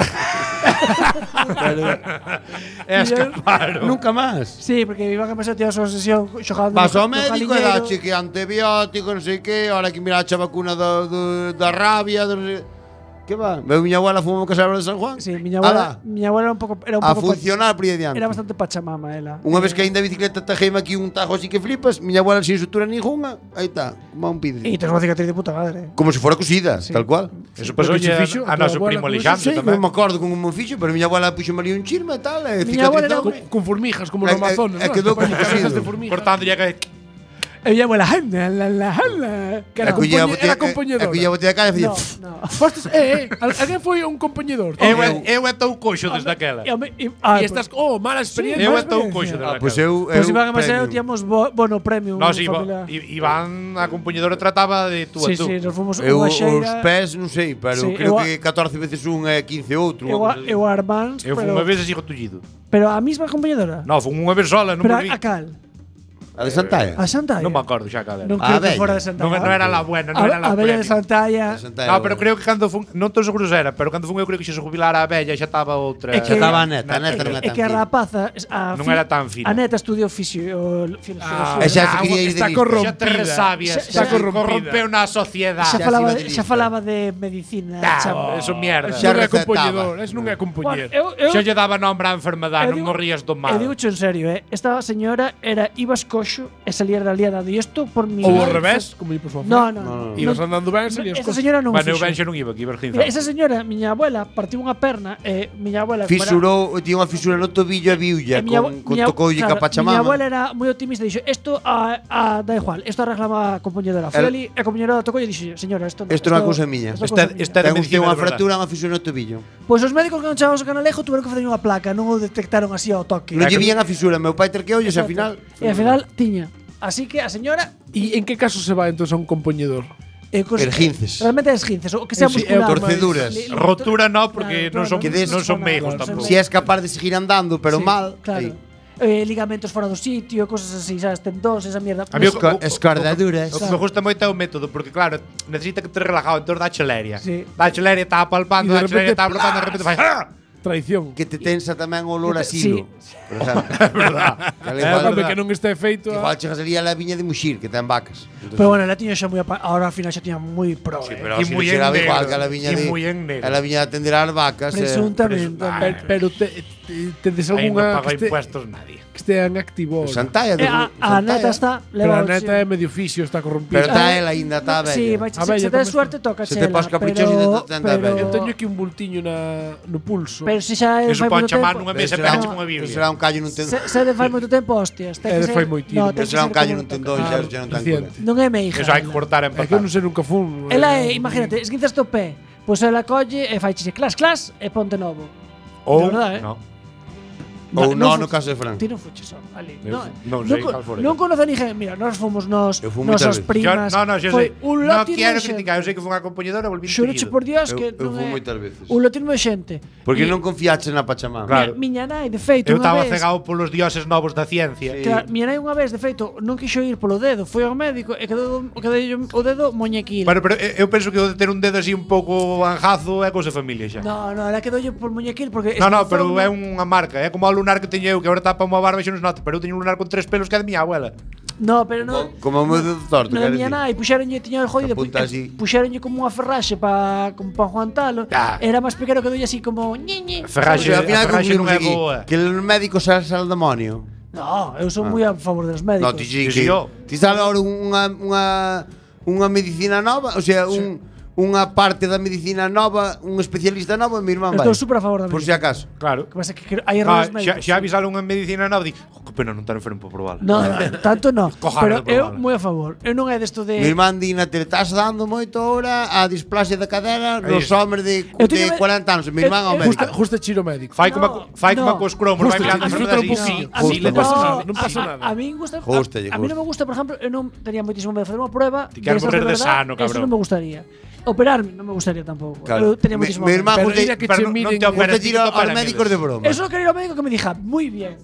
Speaker 1: E escaparon.
Speaker 3: Nunca máis.
Speaker 4: Sí, porque iban a pasar a súa sesión xogando
Speaker 3: Vas ao
Speaker 4: no
Speaker 3: médico e
Speaker 4: jaliñeiro.
Speaker 3: dache que antibiótico, non sei que, ahora que mirache a vacuna da rabia, non sei. Que va? Veu miña abuela fumou que de San Juan?
Speaker 4: Sí, miña abuela era un pouco
Speaker 3: A funcionar por aí adiante.
Speaker 4: era bastante pachamama ela.
Speaker 3: Unha vez que ainda a bicicleta tajeme aquí un tajo así que flipas, miña abuela sin sutura ninguna, aí está, como un pidre.
Speaker 4: E tes unha cicatriz de puta madre.
Speaker 3: Como se fora cosida, tal cual.
Speaker 1: Eso pasou
Speaker 2: Porque se fixo
Speaker 1: a
Speaker 2: a tua
Speaker 1: noso
Speaker 2: abuela
Speaker 1: primo
Speaker 2: con eso,
Speaker 1: Alexandre
Speaker 3: Sí,
Speaker 1: tamén.
Speaker 3: non me acordo como me fixo, pero miña abuela puxo ali un chirma e tal, e
Speaker 4: Miña abuela era
Speaker 3: cicatrizou.
Speaker 2: Con formigas, como no Amazonas, ¿no?
Speaker 3: quedou como
Speaker 2: Cabezas
Speaker 3: cosido.
Speaker 2: de formigas.
Speaker 1: Cortándolle que
Speaker 4: E miña abuela, hala. Que era
Speaker 2: era compañedora.
Speaker 3: E collía a botella de cara e
Speaker 4: No,
Speaker 3: facía...
Speaker 4: no.
Speaker 2: Fostes, alguén foi un compañedor.
Speaker 1: eu é tou coxo desde aquela.
Speaker 2: E estas, mala experiencia.
Speaker 1: Eu é
Speaker 4: mala
Speaker 1: tou
Speaker 4: experiencia.
Speaker 1: coxo desde
Speaker 3: Pois
Speaker 1: aquela.
Speaker 4: Pois Iván e Maseo
Speaker 3: premio.
Speaker 4: tíamos bono premium.
Speaker 1: Nós
Speaker 4: familiar.
Speaker 1: Iván, a compañedora trataba de tú a
Speaker 4: Sí,
Speaker 1: tú.
Speaker 4: sí, nos fomos
Speaker 3: Eu
Speaker 4: unha
Speaker 3: os
Speaker 4: xeira.
Speaker 3: pés non sei, pero
Speaker 4: Sí,
Speaker 3: creo
Speaker 4: eu a-
Speaker 3: que 14 veces un e 15 outro.
Speaker 4: Eu a Armans,
Speaker 1: Eu fui unha vez así tullido.
Speaker 4: pero a mesma compañedora.
Speaker 1: No, fui unha vez sola, non
Speaker 4: Pero
Speaker 1: me vi.
Speaker 4: a cal?
Speaker 3: A de Santalla.
Speaker 4: A Santalla.
Speaker 1: Non me acordo xa cal era.
Speaker 4: Non
Speaker 3: A
Speaker 4: creo que
Speaker 3: bella.
Speaker 4: fora de Santalla.
Speaker 1: Non era la buena, non era la
Speaker 4: A bella de
Speaker 1: premium.
Speaker 4: Santalla.
Speaker 1: No, pero creo que cando fun, non estou seguro se era, pero cando fun eu creo que xa se jubilara a bella xa estaba outra.
Speaker 4: É que-
Speaker 3: Xa estaba a neta non
Speaker 4: É
Speaker 3: era
Speaker 4: que a
Speaker 3: tan fina.
Speaker 4: rapaza
Speaker 1: Non era tan fina.
Speaker 4: A neta estudiou filosofía.
Speaker 3: E xa se quería ir de
Speaker 2: Está
Speaker 3: lista.
Speaker 1: Xa te resabias,
Speaker 4: Xa
Speaker 1: corrompeu na sociedade.
Speaker 4: xa
Speaker 3: xa
Speaker 4: falaba,
Speaker 3: se iba de
Speaker 4: xa
Speaker 3: lista.
Speaker 4: falaba de medicina.
Speaker 1: Ah, eso mierda.
Speaker 3: Xa
Speaker 2: Non é
Speaker 3: recetaba.
Speaker 2: compañedor, es non é
Speaker 4: Bueno,
Speaker 2: compañero.
Speaker 1: Xa lle daba nombre á enfermedade,
Speaker 4: eu
Speaker 1: non
Speaker 4: digo-
Speaker 1: morrías do
Speaker 4: E
Speaker 1: mal.
Speaker 4: digo en serio, esta señora era ibas coxo e salías da liada. E isto por mi.
Speaker 2: Ou ao revés, como por favor.
Speaker 4: No, no.
Speaker 2: Ibas andando ben, salías
Speaker 4: Esta
Speaker 2: cosas.
Speaker 4: señora non
Speaker 1: Bueno, eu
Speaker 4: fixo.
Speaker 1: ben xa non iba, que iba
Speaker 4: Mira, esa señora, miña abuela, partiu unha perna e miña abuela como era-
Speaker 3: Fisurou, tiña unha fisura no tobillo e viulla con tocoulle
Speaker 4: claro,
Speaker 3: ca Pachamama.
Speaker 4: Miña abuela era moi optimista, dixo, isto da igual, isto arreglaba a compañedora. Foi ali e a compañedora tocou e dixo, señora, isto
Speaker 3: Isto non é cousa miña.
Speaker 1: Esta de
Speaker 3: Ten usted
Speaker 1: medicina
Speaker 3: unha
Speaker 1: de verdade.
Speaker 3: fractura, unha fisura no tobillo.
Speaker 4: Pois os médicos que non chegaban ao Canalejo tuveron que facer unha placa, non o detectaron así ao toque.
Speaker 3: Non lle vían a fisura, meu pai terqueolle e ao final...
Speaker 4: E ao final tiña. Así que a señora
Speaker 2: E en que caso se va entonces a un compañedor?
Speaker 3: Erguinces.
Speaker 4: Realmente é esguinces, o que sea
Speaker 2: Sí,
Speaker 4: muscular.
Speaker 3: torceduras.
Speaker 1: Rotura no, porque non son meigos tampouco.
Speaker 3: Si és capaz de seguir andando, pero
Speaker 4: Sí,
Speaker 3: mal...
Speaker 4: Claro. Ligamentos fora do sitio, cosas así, sabes, tendóns, esa mierda.
Speaker 1: A mí
Speaker 3: Escordaduras.
Speaker 1: O que me gusta moito é o método, porque claro, necesita que te relajado, entón dá cheleria.
Speaker 4: Sí.
Speaker 1: Dá cheleria, está palpando,
Speaker 2: E de
Speaker 1: dá cheleria,
Speaker 2: repente,
Speaker 1: está apretando, de repente fai ¡ah!
Speaker 2: Traición.
Speaker 3: Que te tensa tamén o olor a
Speaker 4: Sí.
Speaker 3: silo. Por exemplo. É verdad.
Speaker 2: Home, que non este feito
Speaker 3: Igual chegas ali a la viña de Muxir, que ten vacas.
Speaker 4: Pero bueno, la tiña xa moi ahora ao final xa tiña moi pro.
Speaker 3: Sí, pero
Speaker 1: Y
Speaker 3: si
Speaker 1: muy
Speaker 3: non xeraba
Speaker 1: en
Speaker 3: igual
Speaker 1: negro,
Speaker 3: que a la viña
Speaker 1: y
Speaker 3: de...
Speaker 1: muy en negro.
Speaker 3: A la viña de atender ás vacas.
Speaker 4: Presuntamente.
Speaker 2: Pero tedes
Speaker 1: Aí non
Speaker 2: algunha
Speaker 1: paga
Speaker 2: que
Speaker 1: impuestos nadie.
Speaker 2: estea en activo.
Speaker 3: Santalla.
Speaker 4: A neta está
Speaker 2: Pero a
Speaker 4: leva
Speaker 2: neta é medio fixio, está
Speaker 3: Pero
Speaker 2: corrompida.
Speaker 3: está ela ainda, está bella.
Speaker 4: Sí,
Speaker 2: A bella
Speaker 4: se
Speaker 2: tamén
Speaker 4: tes suerte toca
Speaker 3: Se te pas caprichoso, ainda te anda bella.
Speaker 2: Eu teño aquí un bultiño no pulso.
Speaker 4: Pero se xa
Speaker 1: Eso
Speaker 4: fai
Speaker 1: pode
Speaker 4: moito
Speaker 1: chamar
Speaker 4: tempo.
Speaker 1: nunha mesa e
Speaker 3: Será
Speaker 1: pegache
Speaker 3: un-
Speaker 1: cunha biblia.
Speaker 3: Será un callo nun tendón.
Speaker 4: Se de fai moito tempo, hostias, ten que ser.
Speaker 2: fai moitísimo.
Speaker 4: ten que
Speaker 3: Será
Speaker 4: ser
Speaker 3: un callo
Speaker 4: como
Speaker 3: nun tendón,
Speaker 4: toca.
Speaker 3: xa non ten
Speaker 2: Reciente.
Speaker 3: cura.
Speaker 4: Non é meiga.
Speaker 1: Eso hai que cortar e
Speaker 2: É que eu
Speaker 1: empatar.
Speaker 2: non sei nunca fun.
Speaker 4: Ela é, imagínate, esguinzas o pé, pois ela colle e fai chiche clas clas e ponte novo.
Speaker 1: Ou,
Speaker 4: De verdade,
Speaker 1: no.
Speaker 3: Ou
Speaker 4: non
Speaker 3: no, no
Speaker 4: fu-
Speaker 3: caso de Fran.
Speaker 4: Ti non fuches só, ali.
Speaker 1: Eu
Speaker 4: Non,
Speaker 1: non sei cal fora.
Speaker 4: non conoce ninguén. Mira, nós fomos nos
Speaker 3: Eu fui
Speaker 4: nosas
Speaker 3: moitas
Speaker 4: primas.
Speaker 1: Xa
Speaker 4: foi
Speaker 1: sei.
Speaker 4: un
Speaker 1: Non
Speaker 4: lote
Speaker 1: quero
Speaker 4: de xente.
Speaker 1: criticar, eu sei que foi unha compañedora, volví
Speaker 4: Xuroche por Dios que
Speaker 3: Eu
Speaker 4: non
Speaker 3: fui
Speaker 4: é
Speaker 3: moitas veces.
Speaker 4: un lotismo de xente.
Speaker 3: Porque
Speaker 4: E-
Speaker 3: non confiaches na Pachamama.
Speaker 1: Claro.
Speaker 4: Miña nai, de feito,
Speaker 1: Eu
Speaker 4: unha
Speaker 1: estaba
Speaker 4: vez.
Speaker 1: cegado polos dioses novos da ciencia.
Speaker 3: Sí.
Speaker 4: Claro, miña nai unha vez, de feito, non quixo ir polo dedo, foi ao médico e quedou o dedo moñequil.
Speaker 1: Pero eu penso que o de ter un dedo así un pouco anjazo é cousa de familia xa.
Speaker 4: No, ela quedoulle por moñequil porque
Speaker 1: No, pero é unha marca, é como o lunar que teño eu, que agora tapa unha barba e xa non se nota, pero eu teño un lunar con 3 pelos que é de miña abuela.
Speaker 4: No, pero no.
Speaker 3: Como o meu dedo torto,
Speaker 4: Non
Speaker 3: quero
Speaker 4: tiña
Speaker 3: dicir.
Speaker 4: nada, e puxeronlle, tiña o jodido,
Speaker 3: Apunta así.
Speaker 4: puxeronlle como unha ferraxe para aguantalo.
Speaker 1: Ah.
Speaker 4: Era máis pequeno que dolle así como ñe.
Speaker 3: O
Speaker 1: Ferraxe,
Speaker 3: sea, ao final
Speaker 1: a ferraxe non
Speaker 3: concluímos
Speaker 1: é
Speaker 3: aquí
Speaker 1: boa.
Speaker 3: que el médico sale al demonio.
Speaker 4: No, eu son moi a favor dos médicos.
Speaker 3: No, ti
Speaker 1: Sí,
Speaker 3: que
Speaker 1: yo.
Speaker 3: ti sale ahora unha medicina nova, o sea, unha parte da medicina nova, un especialista novo, e mi irmán vai.
Speaker 4: Estou super a favor da
Speaker 3: Por si
Speaker 4: medicina.
Speaker 3: acaso.
Speaker 1: Claro.
Speaker 4: Que pasa que hai
Speaker 1: Ah,
Speaker 4: errores
Speaker 1: xa,
Speaker 4: médicos.
Speaker 1: xa avisaron en medicina nova, di, que pena non estar enfermo para probar.
Speaker 4: No, tanto no.
Speaker 1: Cojara
Speaker 4: Pero
Speaker 1: de
Speaker 4: eu
Speaker 1: probala.
Speaker 4: moi a favor. Eu non é desto de
Speaker 3: Mi irmán di na tele, estás dando moito ahora a displasia da cadera nos
Speaker 1: Aí.
Speaker 3: homes de
Speaker 4: Eu teño-
Speaker 3: 40 anos. Mi irmán ao
Speaker 4: eu-
Speaker 3: médico.
Speaker 2: Justo chiro médico.
Speaker 1: Fai
Speaker 4: No,
Speaker 1: como
Speaker 4: no.
Speaker 1: cos cromos, vai
Speaker 2: Justo,
Speaker 1: mirando
Speaker 2: disfruta un
Speaker 1: enfermedades
Speaker 2: pouquinho.
Speaker 1: e
Speaker 4: A mí
Speaker 3: Justo.
Speaker 2: Non pasa nada, non pasa nada.
Speaker 4: A mí gusta,
Speaker 3: Jústalle,
Speaker 4: a mí non me gusta, por exemplo, eu non tería moitísimo medo de facer unha prueba
Speaker 1: Ti queres
Speaker 4: destas
Speaker 1: morrer de
Speaker 4: verdad,
Speaker 1: sano,
Speaker 4: Eso
Speaker 1: cabrón.
Speaker 4: non me gustaría. Operarme non me gustaría tampouco.
Speaker 3: Claro.
Speaker 4: Eu tería moitísimo
Speaker 3: Mi
Speaker 4: medo.
Speaker 3: irmán
Speaker 2: Pero
Speaker 3: gusta
Speaker 2: mira que
Speaker 1: pero
Speaker 2: che
Speaker 1: non
Speaker 2: miden...
Speaker 1: te operas.
Speaker 3: gusta ir aos
Speaker 1: para
Speaker 3: médicos de broma.
Speaker 4: Eso quero ir ao médico que me diga, moi bien.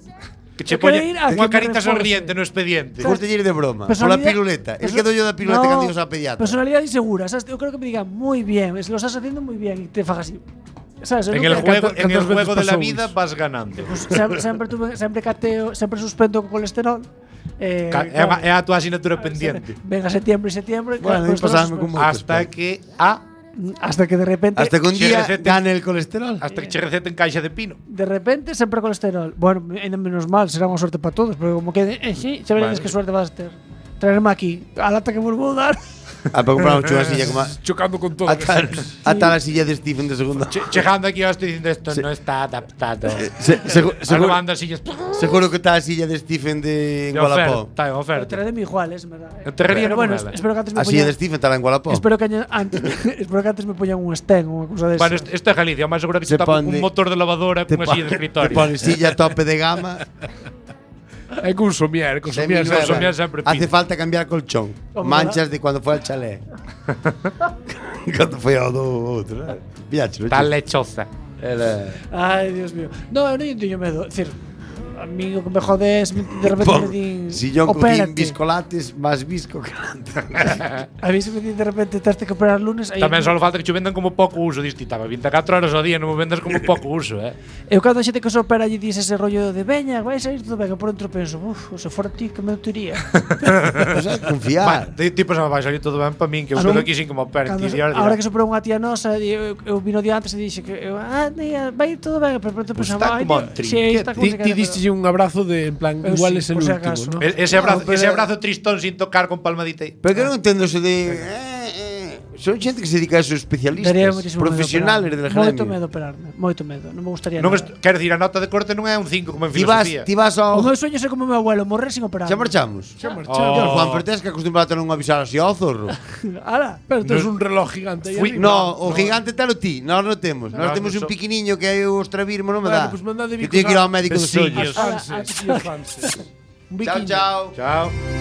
Speaker 1: Que che
Speaker 4: Eu quero
Speaker 1: poñe
Speaker 4: ir a que
Speaker 1: unha
Speaker 4: me
Speaker 1: carita
Speaker 4: reforce.
Speaker 1: sonriente no expediente.
Speaker 3: Gusta ir de broma. Pola
Speaker 4: Personalidade-
Speaker 3: piruleta. El que doy yo da piruleta cando ibas á pediatra.
Speaker 4: Personalidade insegura, sabes? Eu creo que me digan muy bien, lo estás haciendo muy bien y te fagas así. ¿Sabes? Eu
Speaker 1: En
Speaker 4: non
Speaker 1: el
Speaker 4: quero-
Speaker 1: juego
Speaker 2: cantas
Speaker 1: de la
Speaker 2: veces
Speaker 1: vida
Speaker 2: pasou
Speaker 1: vas ganando.
Speaker 4: Pues sempre cateo, sempre suspendo con colesterol.
Speaker 1: É a tua asignatura pendiente.
Speaker 4: Venga septiembre,
Speaker 3: Bueno, a mí pasaba como moitos,
Speaker 1: Hasta
Speaker 3: pero-
Speaker 1: que
Speaker 4: hasta que de repente
Speaker 3: Hasta que un
Speaker 1: Che
Speaker 3: día
Speaker 1: receten-
Speaker 3: gane el colesterol.
Speaker 1: hasta que che receten caixa de pino.
Speaker 4: de repente sempre colesterol. Bueno, ainda menos mal, será unha sorte para todos, pero como que sí, xa veredes
Speaker 1: Vale.
Speaker 4: que suerte vas a ter. Traerme aquí a lata que vos vou dar.
Speaker 3: Ah, para comprar unha silla como
Speaker 2: Chocando con todo.
Speaker 3: ata la silla de Stephen de segunda.
Speaker 1: Chegando aquí yo estoy diciendo esto no está adaptado.
Speaker 3: Seguro,
Speaker 1: Salvando sillas.
Speaker 3: seguro que está la silla de Stephen de
Speaker 1: De
Speaker 3: Gualapó.
Speaker 1: oferta, de
Speaker 4: Pero
Speaker 1: oferta.
Speaker 4: traerme iguales, en verdad.
Speaker 1: Enterraría
Speaker 4: Pero
Speaker 1: no
Speaker 4: bueno,
Speaker 1: nada.
Speaker 4: espero que antes me
Speaker 3: A silla de
Speaker 4: poñan
Speaker 3: Stephen estará en Gualapó.
Speaker 4: Espero que antes espero que antes me poñan un stem ou unha cousa desa.
Speaker 1: Bueno, isto é Galicia, máis seguro que
Speaker 3: Se
Speaker 1: se tapa
Speaker 3: pone-
Speaker 1: un motor de lavadora
Speaker 3: Te
Speaker 1: cunha silla de
Speaker 3: te
Speaker 1: escritorio.
Speaker 3: pone silla tope de gama.
Speaker 2: É con somier,
Speaker 3: Seminueva.
Speaker 1: somier sempre
Speaker 3: Hace
Speaker 1: pide.
Speaker 3: falta cambiar colchón.
Speaker 4: Hombre,
Speaker 3: Manchas de cuando fue al chalet. Cuando foi ao do outro, eh? Viache,
Speaker 1: Está lechosa.
Speaker 3: Era...
Speaker 4: Ai, Dios mío. No, eu non teño medo. É dicir, a mí o que me jode es de repente me din
Speaker 3: Sillón con
Speaker 4: opérate.
Speaker 3: biscolates, más visco que antes.
Speaker 4: A mí se me din de repente teste que operar lunes. aí
Speaker 1: Tamén só falta que che vendan como pouco uso. Diste, estaba 24 horas ao día, non me vendas como pouco uso,
Speaker 4: Eu cando a xente que se opera lle dice ese rollo de veña, vai sair todo ben, e por dentro penso, se fora ti que me tería.
Speaker 3: O sea, confiar.
Speaker 1: Tipo, se me vai salir todo ben para min, que eu
Speaker 4: Ah,
Speaker 1: quedo
Speaker 4: non?
Speaker 1: aquí sin que me operen.
Speaker 4: Cando,
Speaker 1: Ti,
Speaker 4: ahora que se operou unha tía nosa, eu vino día antes e dixe que tía, vai ir todo ben, pero por dentro
Speaker 1: Pues
Speaker 4: pensaba,
Speaker 1: está como un
Speaker 4: está como
Speaker 2: Ti diste un abrazo de, en plan,
Speaker 4: Eu
Speaker 2: igual
Speaker 4: sí,
Speaker 2: es el
Speaker 4: por si
Speaker 2: último,
Speaker 4: acaso.
Speaker 2: ¿no?
Speaker 1: Ese abrazo,
Speaker 3: pero-
Speaker 1: ese abrazo tristón sin tocar con palmadita aí.
Speaker 3: Pero que non entendo eso de... son xente que se dedica a esos especialistas,
Speaker 4: Daría moitísimo medo
Speaker 3: profesionales del
Speaker 4: operarme. Moito
Speaker 3: gremio.
Speaker 4: medo operarme, moito medo, non me gustaría
Speaker 1: Non
Speaker 4: nada.
Speaker 1: quero dicir, a nota de corte non é un 5 como en
Speaker 3: Ti vas,
Speaker 1: filosofía.
Speaker 3: ti vas
Speaker 4: O
Speaker 3: ao...
Speaker 4: meu sueño é ser como meu abuelo, morrer sin operar.
Speaker 3: Xa marchamos?
Speaker 2: Xa
Speaker 1: Oh.
Speaker 3: Dios, Juan, pero tens que acostumbrar a non avisar así ao zorro.
Speaker 4: Ala.
Speaker 2: Pero tens un reloj gigante aí arriba.
Speaker 3: No, o gigante telo ti, nós non temos. Nós
Speaker 1: No,
Speaker 3: temos
Speaker 1: no
Speaker 3: un
Speaker 1: so-
Speaker 3: pequeniño que é o Estravirmo, non me
Speaker 2: Bueno,
Speaker 3: dá.
Speaker 2: pues mandade
Speaker 3: Que
Speaker 2: bicos
Speaker 3: teño que ir
Speaker 2: a-
Speaker 3: ao médico dos
Speaker 1: Besillos.
Speaker 3: ollos.
Speaker 2: Fanses, chiquillos fanses. Un
Speaker 3: Chao,
Speaker 2: biquiño.
Speaker 3: chao.
Speaker 1: Chao.